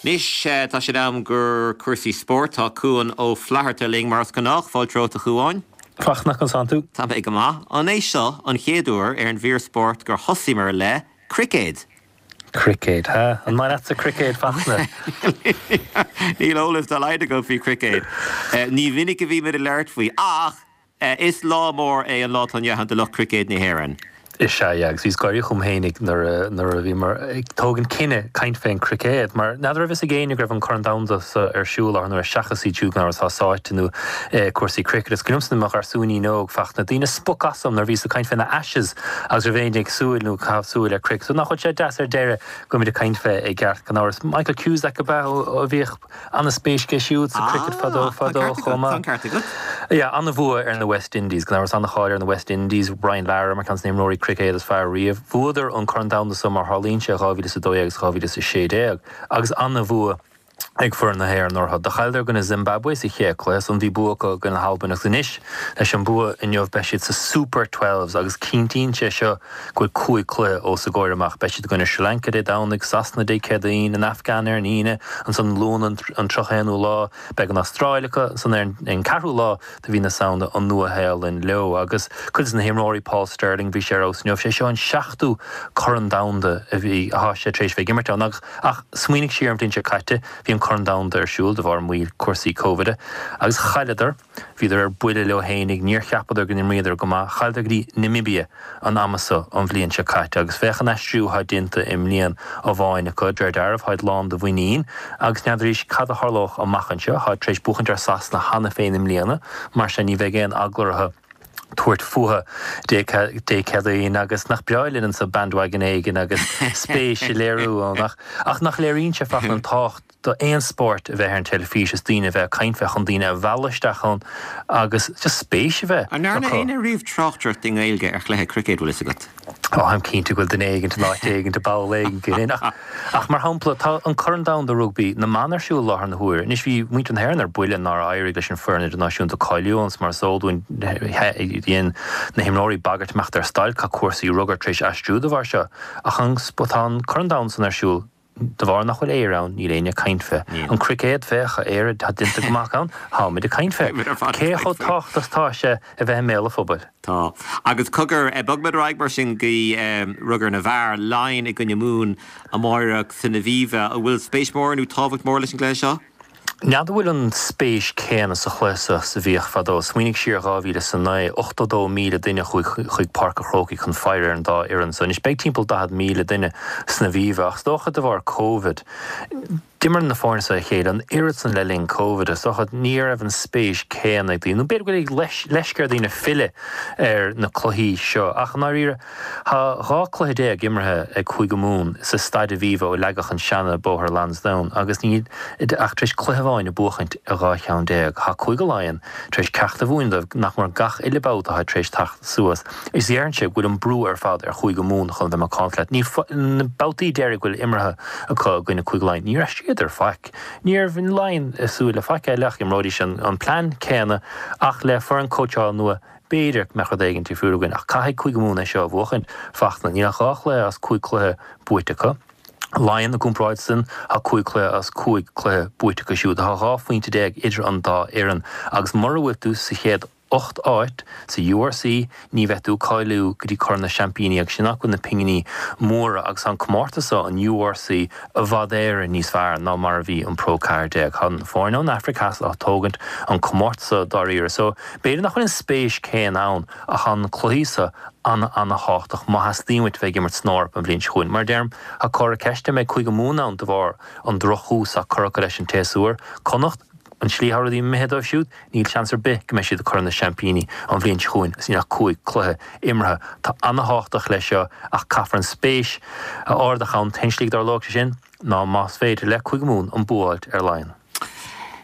Anois tá sé in am do chúrsaí spóirt tá Cuan Ó Flatharta linn mar is gnách fáilte romhat a Chuáin. Fachtna conas tánn tú? Tá mé go maith an é seo an chéad uair ar an mhír spóirt gur thosaíomar le cruicéad. Cruicéad ha an maith leatsa cruicéad Fachtna. Níl eolas dá laghad agam faoi chruicéad. Ní mhinic a bhímid ag labhairt faoi ach is lá mór é an lá atá inniu ann do lucht cruicéad na hÉireann. Is ea agus bhíos ag gáirí chugam féinig nuair nuair a bhíomar ag tógaint cinneadh caint fén cruicéad, mar n'fheadar raibh fhios ag éinne go raibh an Corn Domhanda sa ar siúl ar nuair seachas iad siúd atá sáite nó cúrsaí cricket. Is cuimhin liomsa i mo gharsúinín óg Fachtna daoine spoch asam nuair bhíos ag caint fé na Ashes agus raibh éinne ag súil nó caitheamh súil ar cricket. So nach bhfuil sé deas ar deireadh go bhfuilimid ag caint fé i gceart gan amhras. Michael Cusack ab ea a bhíodh an-spéis aige siúd sa cricket fadó fadó chomh maith. Yeah, an-bhua ar na West Indies, gan amhras an-cháil ar na West Indies, Brian Lara mar ceann de na himreoirí cruicéad is fearr riamh. Bhuadar an Corn Domhanda so mar tharlaíonn sé dhá mhíle is a dó dhéag agus dhá mhíle is a sé déag agus an-bhua ag foireann na hÉireann orthu. Do chailleadar i gcoinne Zimbabwe sa chéad cluiche ansan bhí bua acu i gcoinne na hAlban agus anois leis an bua inniu beidh siad sa Super Twelves agus cinntíonn sé seo go bhfuil cúig cluiche os a gcomhair amach. Beidh siad i gcoinne Sri Lanka Dé Domhnaigh, Sasana Dé Céadaoin, an Afghan ar an Aoine, ansan Luan an tríocha haonú lá beidh an Astráil acu, ansan ar an ceathrú lá de mhí na Samhna an Nua-Shéalainn leo. Agus cuid de na himreoirí, Paul Stirling, bhí sé ar fheabhas inniu, sé seo an seachtú Corn Domhanda a bhí, atá sé tar éis bheith ag imirt ann. Agus, ach smaoinigh siar an bhliain seo caite, bhí an Corn Domhanda ar siúl de bharr moill cúrsaí Covid agus chailleadar, bhíodar ar buile leo fhéinig, níor cheapadar go n-imríodar go maith, chailleadar go dtí Namibia an ama so an bhliain seo caite agus féach an aistriú atá déanta i mbliain amháin acu, de réir dealraimh, táid lán de mhuinín agus n'fheadaraís cad a tharlódh amach anseo, táid tar éis buachaint ar Sasana cheana féin i mbliana, mar sin ní bheidh aon eagla orthu. tabhairt fúthu Dé Céadaoin agus nach breá linn anso bandwagon éigin agus spéis a léiriú ann ach ach nach léiríonn sé freisin an tábhacht do aon spórt a bheith ar an teilifís is daoine a bheith ag caint fé chun daoine a mhealladh isteach ann agus just spéis a bheith An ndearna acu. éinne riamh tráchtaireacht i nGaeilge ar chluiche cruicéid bhfuil fhios agat? Ó táim cinnte go bhfuil duine éigin in áit éigin i bpoll éigin ach ach mar shampla tá an Corn Domhanda Rugbaí na mban ar siúl láthair na huaire. Anois bhí muintir na hÉireann ar buile nár éirigh leis an foireann idirnáisiúnta cáiliú ann mar is eol dúinn dhein na himreoirí bagairt imeacht ar stailc tá cúrsaí rugair tar éis aistriú de bharr seo ach an tá an Corn Domhanda san ar siúl de bharr nach bhfuil Éire ann níl éinne ag caint fé. An cruicéad féach Éire tá déanta go maith ann táimid ag caint fé. Cé chomh tábhachtach is atá sé a bheith i mbéal an phobail. Tá. Agus cogar bogfaimid ar aghaidh mar sin go rugar na bhfear Laighin i gcoinne Mumhan amárach san Aviva an bhfuil spéis mór nó tábhacht mór leis an gcluiche seo? N'fheadar bhfuil an spéis céanna sa chluiche seo is a bhíodh fadó. Smaoinigh siar dhá mhíle is a naoi, ochtó dó míle duine chuaigh chuig Páirc an Chrócaigh chun faire ar an dá fhoireann so. Anois beidh timpeall daichead míle duine san Aviva ach is dócha de bharr Covid, d'imir na foirne seo a chéile an oiread san le linn Covid is dócha ní raibh an spéis céanna ag daoine, nó b'fhéidir go bhfuil leisce ar dhaoine filleadh ar na cluichí seo ach i ndáiríre tá dhá cluiche déag imeartha ag Cúige Mumhan sa Staid Aviva ó leagadh an seana Bóthar Lansdowne agus níl ach tar éis cluiche amháin a buachaint i dhá cheann déag. Tá Cúige Laighean tar éis ceacht a mhúineadh dóibh nach mór gach uile babhta atá tar éis teacht suas. Is déarfainnse go bhfuil an brú ar fad ar Chúige Mumhan chun bheith macánta leat. Ní na babhtaí deiridh go bhfuil imeartha acu i gcoinne Cúige Laighean, níor aistríodar faic. Ní raibh Laighean ag súil le faic eile ach imreoidís an plean céanna ach le foireann cóitseála nua b'fhéidir go mbeadh rud éigin difriúil againn ach caithfidh Cúige Mumhan é seo a bhuachaint. Fachtna, níl ach dhá chluiche as cúig chluiche buaite acu. Laighean i gcomparáid san tá cúig chluiche as cúig chluiche buaite acu siúd. Tá dhá phointe déag idir an dá fhoireann agus mura bhfuil tú sa chéad ocht áit sa URC ní bheidh tú ag cáiliú go dtí Corn na Seaimpíní agus sin áit go bhfuil na pinginí móra agus tá an comórtas seo, an URC, i bhfad Éireann níos fearr ná mar a bhí an Pro ceathair déag. Tá na foirne ón Afraic Theas á tógaint an comórtas seo dáiríre so b'fhéidir nach bhfuil an spéis céanna ann ach tá na cluichí seo an-an-thábhachtach má theastaíonn uait bheith ag imirt san Eoraip an bhliain seo chugainn. Mar a deirim, tá comhartha ceiste an mbeidh Cúige Mumhan ann de bharr an drochthús atá curtha acu leis an tséasúr. Connacht, an tslí atá rudaí imithe dóibh siúd, níl seans ar bith go mbeidh siad ag Corn na Seaimpíní an bhliain seo chugainn is níl ach cúig cluiche imeartha. Tá an-thábhachtach leis seo ach caithfear an spéis a ardach ann. An t-aon slí go dtarlóidh sé sin ná más féidir le Cúige Mumhan an bua a fháilt ar Laighean.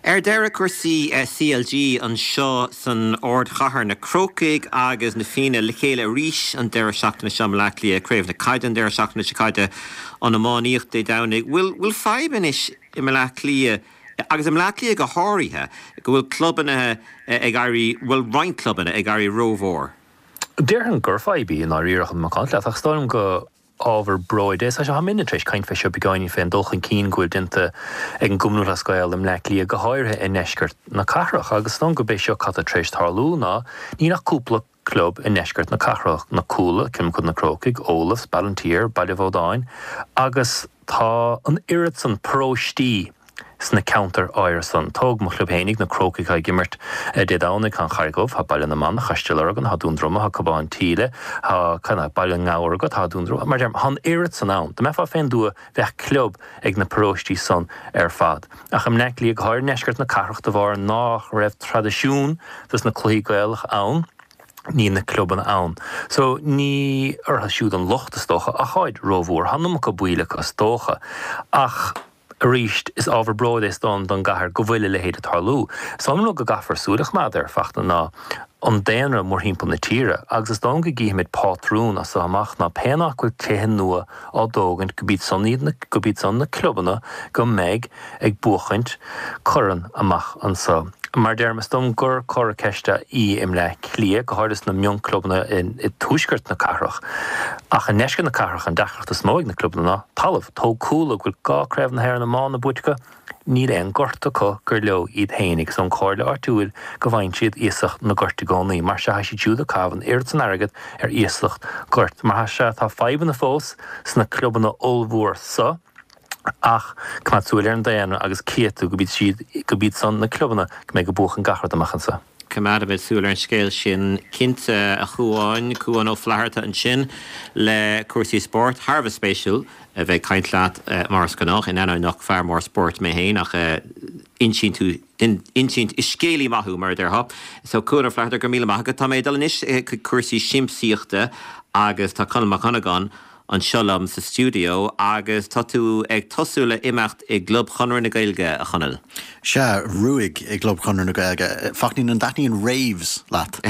Ar deireadh, cúrsaí CLG anseo san ardchathair, na Crócaigh agus na Fianna le chéile arís an deireadh seachtaine seo i mBaile Átha Cliath, Craobh na Caide an deireadh seachtaine seo caite, an iománaíocht Dé Domhnaigh. Bhfuil bhfuil fadhb anois i mBaile Átha Cliath, agus i mBaile Átha Cliath go háirithe, go bhfuil clubanna ag éirí, bhuel roinnt clubanna ag éirí rómhór? Déarfainn gur fadhb í i ndáiríre chun macánta leat, ach is dóigh liom go ábhar bróid é. Tá muidne tar éis caint fé seo beagáinín fén dul chun cinn go bhfuil déanta ag an gCumann Lúthchleas Gael i mBleá Cliath, go háirithe i ndeisceart na cathrach. Agus is dóigh liom gurb é seo cad tá tar éis tarlú ná níl ach cúpla club i ndeisceart na cathrach, na Cuala, Cill Mochuda Na Crócaigh, Olaf's, Ballinteer, Baile Bhodáin, agus tá an oiread san paróistí sna ceantair áirithe san. Tóg mo chlub fhéinig, na Crócaigh atá ag imirt Dé Domhnaigh, tá an Charraig Dhubh, tá Baile na Manach, tá Stigh Lorgan, tá Dún Droma, tá Cobán tSíle, tá Baile na nGabhar agat, tá Dún Droma, mar deirim, tá an oiread san ann. Dá mbeifeá fén dtuath bheadh club ag na paróistí san ar fad. Ach i mBleá Cliath, go háirithe i ndeisceart na cathrach, de bharr nach raibh traidisiún dos na cluichí Gaelach ann, níl na clubanna ann. So, ní orthu siúd an locht, is dócha, ach táid rómhór. Tá an iomarca baill acu, is dócha. Ach arís, is ábhar bróid é is dóigh liom don gcathair go bhfuil a leithéid ag tarlú. Is dóigh liom an rud go gcaithfear súil a choimeád air, Fachtna, ná an daonra mórthimpeall na tíre agus is dóigh liom go gcífimid pátrún as seo amach ná pé áit go bhfuil tithe nua á dtógaint go b'iad san iad na, go b'iad san na clubanna go mbeidh ag buachaint corn amach anso. Mar deirim, is dóigh liom gur comhartha ceiste í i mBleá Cliath, go háirithe sna mionchlubanna i dtuaisceart na cathrach. Ach i ndeisceart na cathrach, an deacracht is mó ag na clubanna ná talamh. Tóg Cuala, go bhfuil dhá Craobh na hÉireann iomána buaite acu, níl aon ghort acu gur leo iad féin agus ón chomhairle áitiúil go bhfaigheann siad iasacht na goirt i gcónaí. Mar sea, tá siad siúd ag caitheamh an oiread san airgead ar iasacht goirt. Mar sea, tá fadhbanna fós sna clubanna ollmhór so. Ach coimeád súil ar an daonra agus cífidh tú go b'iad siad, go b'iad san na clubanna go mbeidh ag buachan gach rud amach anso. Coimeádfaimid súil ar an scéal sin cinnte a Chuáin, Cuán Ó Flatharta ansin le cúrsaí spóirt. Thar a bheith spéisiúil a bheith ag caint leat mar is gnách, in ainneoin nach fear mór spóirt mé féin ach insíonn tú insint is scéalaí maith thú mar a déarfá. So Cuán Ó Flatharta go raibh míle maith agat. Tá mé ag dul anois chuig cúrsaí siamsaíochta agus tá Conall Mac Dhonnagáin anseo liom sa stiúideo agus tá tú ag tosú le imeacht i gClub Chonradh na Gaeilge, a Chonaill. Sea, Ruaig i gClub Chonradh na Gaeilge. Fachtna, an dtaitníonn raves leat?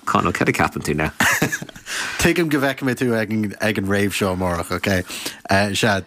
Conall, cad a ceapann tú now? Tuigim go bhfeicfidh mé tú ag an, ag an rave seo amárach, ok? Sea,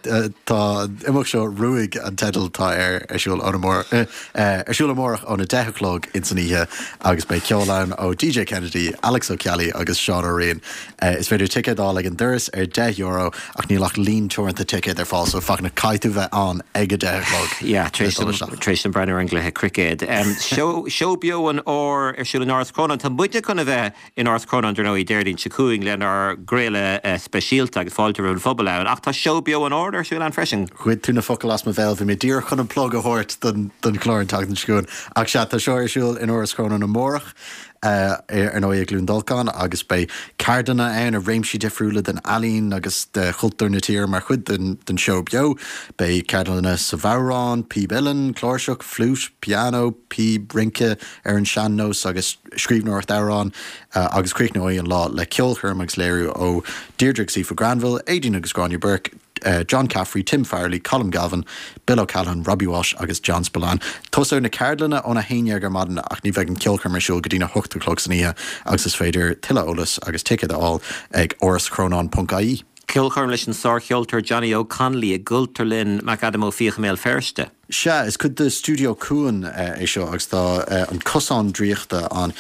tá an imeacht seo Ruaig an teideal atá air ar siúl ón amárach, ar siúl amárach óna deich a chlog ins an oíche agus beidh ceol ann ó DJ Kennedy, Alex Ó Ceallaigh agus Seán Ó Riain. Is féidir ticéad a fháil ag an doras ar deich euro ach níl ach líon teoranta ticéad ar fáil so Fachtna caithfidh tú bheith ann ag a deich a chlog Yeah, tar éis dom, tar éis dom breathnú ar an gcluiche cruicéid. Seó, seó beo an Áir ar siúl in Áras Chrónáin. Tá muidne chun a bheith in Áras Chrónáin dar ndóigh Déardaoin seo chugainn lenár gcraoladh speisialta agus fáilte roimh an phobal ann ach tá seó beo an Áir ar siúl ann freisin. Ghoid tú na focail as mo bhéal, bhí mé díreach chun an plug a thabhairt don, don chlár an tseachtain seo chugainn. Ach sea, tá seo ar siúl in Áras Chrónáin amárach. Ar ndóigh i gCluain Dolcáin agus beidh ceardlanna ann i réimsí difriúla den ealaín agus de chultúr na tíre mar chuid den den seó beo. Beidh ceardlanna sa bhodhrán, píb uilleann, cláirseach, fliúit, pianó, píb rince ar an sean-nós agus scríbhneoireacht amhrán agus críochnóidh an lá le ceolchoirm agus léiriú ó Deirdre agus Aoife Granville, Aideen agus Gráinne Burke, John Caffrey, Tim Farrelly, Colm Galvin, Bill O'Callaghan, Robbie Walsh agus John Spillane. Tosóidh na ceardlanna óna haon dhéag ar maidin ach ní bheidh an ceolchoirm ar siúl go dtína hocht a chlog san oíche agus is féidir tuilleadh eolais agus ticéid a fháil ag áraschrónáin ponc ie. Ceolchoirm leis an sárcheoltóir Johnny Óg Connolly i gCultúrlann McAdam Ó Fiaich i mBéal Feirste. Sea, is cuid de Stiúideo Cuan é seo agus tá An Cosán Draíochta ann,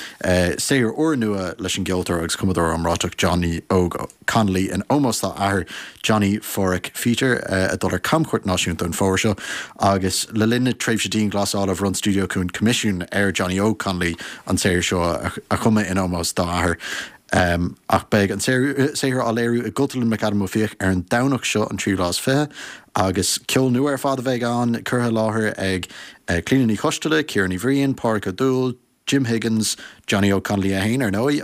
saothar úrnua leis an gceoltóir agus cumadóir iomráiteach Johnny Óg Connolly in ómós dá athair Johnny Pháraic Pheter ag dul ar camchuairt náisiúnta an fómhar seo agus le linn na tréimhse dianghlasála bhronn Stiúideo Cuan coimisiún ar Johnny Óg Connolly an saothar seo a chumadh in ómós dá athair. Ach beidh an saothar á léiriú i gCultúrlann McAdam Ó Fiaich ar an Domhnach seo, an tríú lá is fiche, agus ceol nua ar fad a bheidh ann, curtha i láthair ag Clíona Ní Choisteala, Ciara Ní Bhriain, Pádraig Ó Dúill, Jim Higgins, Johnny Óg Connolly é féin, ar ndóigh,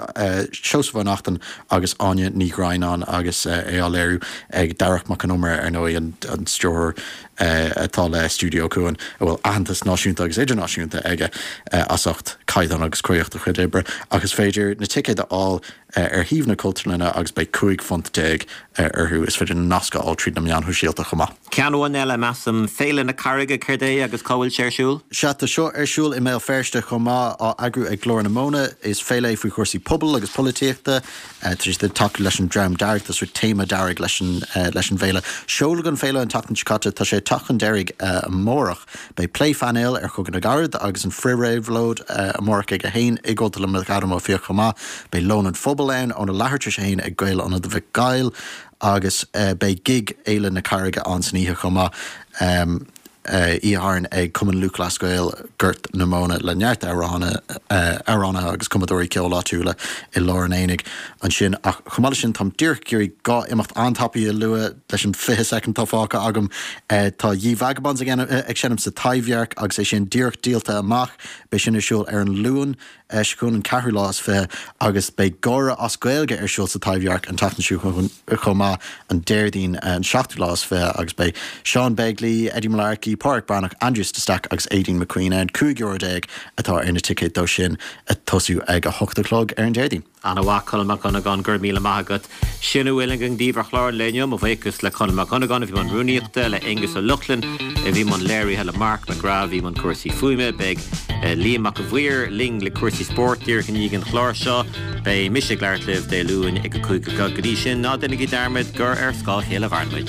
Seosamh Ó Neachtain agus Áine Ní Dhroighneáin agus é á léiriú ag Darach Mac Con Iomaire, ar ndóigh, an stiúrthóir atá le Stiúideo Cuan, a bhfuil aitheantas náisiúnta agus idirnáisiúnta aige as ucht caighdeán agus croíocht a chuid oibre, ach is féidir na ticéid a fháil ar shuíomh na Cultúrlainne agus beidh cúig phunt déag orthu. Is féidir na nasc a fháil tríd na meáin shóisialta chomh maith. Ceann amháin eile, measaim, Féile na Carraige, céard é agus cá bhfuil sé ar siúl? Sea, tá seo ar siúl i mBéal Feirste chomh maith, á eagrú ag Glór na Móna. Is féile é faoi chúrsaí pobail agus polaitíochta. Tá siad ag tacú leis an Dream Dearg, tá sórt téama dearg leis an leis an bhféile. Seoladh an féile an tseachtain seo caite, tá sé ag teacht chun deiridh amárach. Beidh plé phainéil ar Chogadh na gCarad agus an Frith-Réabhlóid amárach ag a haon i gCultúrlann McAdam Ó Fiaich chomh maith. Beidh Lón an Phobail ann óna leathuair tar éis a haon ag Gael-Ionad Mhic Gaill agus beidh gig Fhéile na Carraige ann san oíche chomh maith. Oíche Shathairn ag Cumann Lúthchleas Gael Gort na Móna le neart amhránaithe agus cumadóirí ceoil áitiúla i lár an aonaigh ansin. Ach chomh maith leis sin, táim díreach ag iarraidh dhá imeacht an-tapaidh a lua leis an fiche soicind atá fágtha agam. Tá Ye Vagabonds ag seinm sa Taibhdhearc agus é sin díreach díolta amach. Beidh sin ar siúl ar an Luan. seo chugainn an ceathrú lá is fiche agus beidh Gáire as Gaeilge ar siúl sa Taibhdhearc an tseachtain seo chugainn chomh maith, an Déardaoin an seachtú lá is fiche agus beidh Seán Begley, Eddie Mullarkey, Pádraic Breathnach, Aindrias de Staic agus Aideen McQueen ann. Cúig euro déag atá ar na ticéid dó sin ag tosú ag a hocht a chlog ar an Déardaoin. Ana-mhaith, Conall Mac Dhonnagáin, go raibh míle maith agat. Sin a bhfuil againn daoibh ar chlár an lae inniu. Mo bhuíochas le Conall Mac Dhonnagáin a bhí i mbun rúnaíochta, le Aengus Ó Lochlainn a bhí i mbun léirithe, le Mark McGrath a bhí i mbun cúrsaí fuaime. Beidh Liam Mac a' Mhaoir linn le cúrsaí spóirt díreach i ndiaidh an chláir seo. Beidh mise ag labhairt libh Dé Luain ag a cúig a chlog. Go dtí sin, ná déanaigí dearmad gur ar scáth a chéile a mhaireann muid.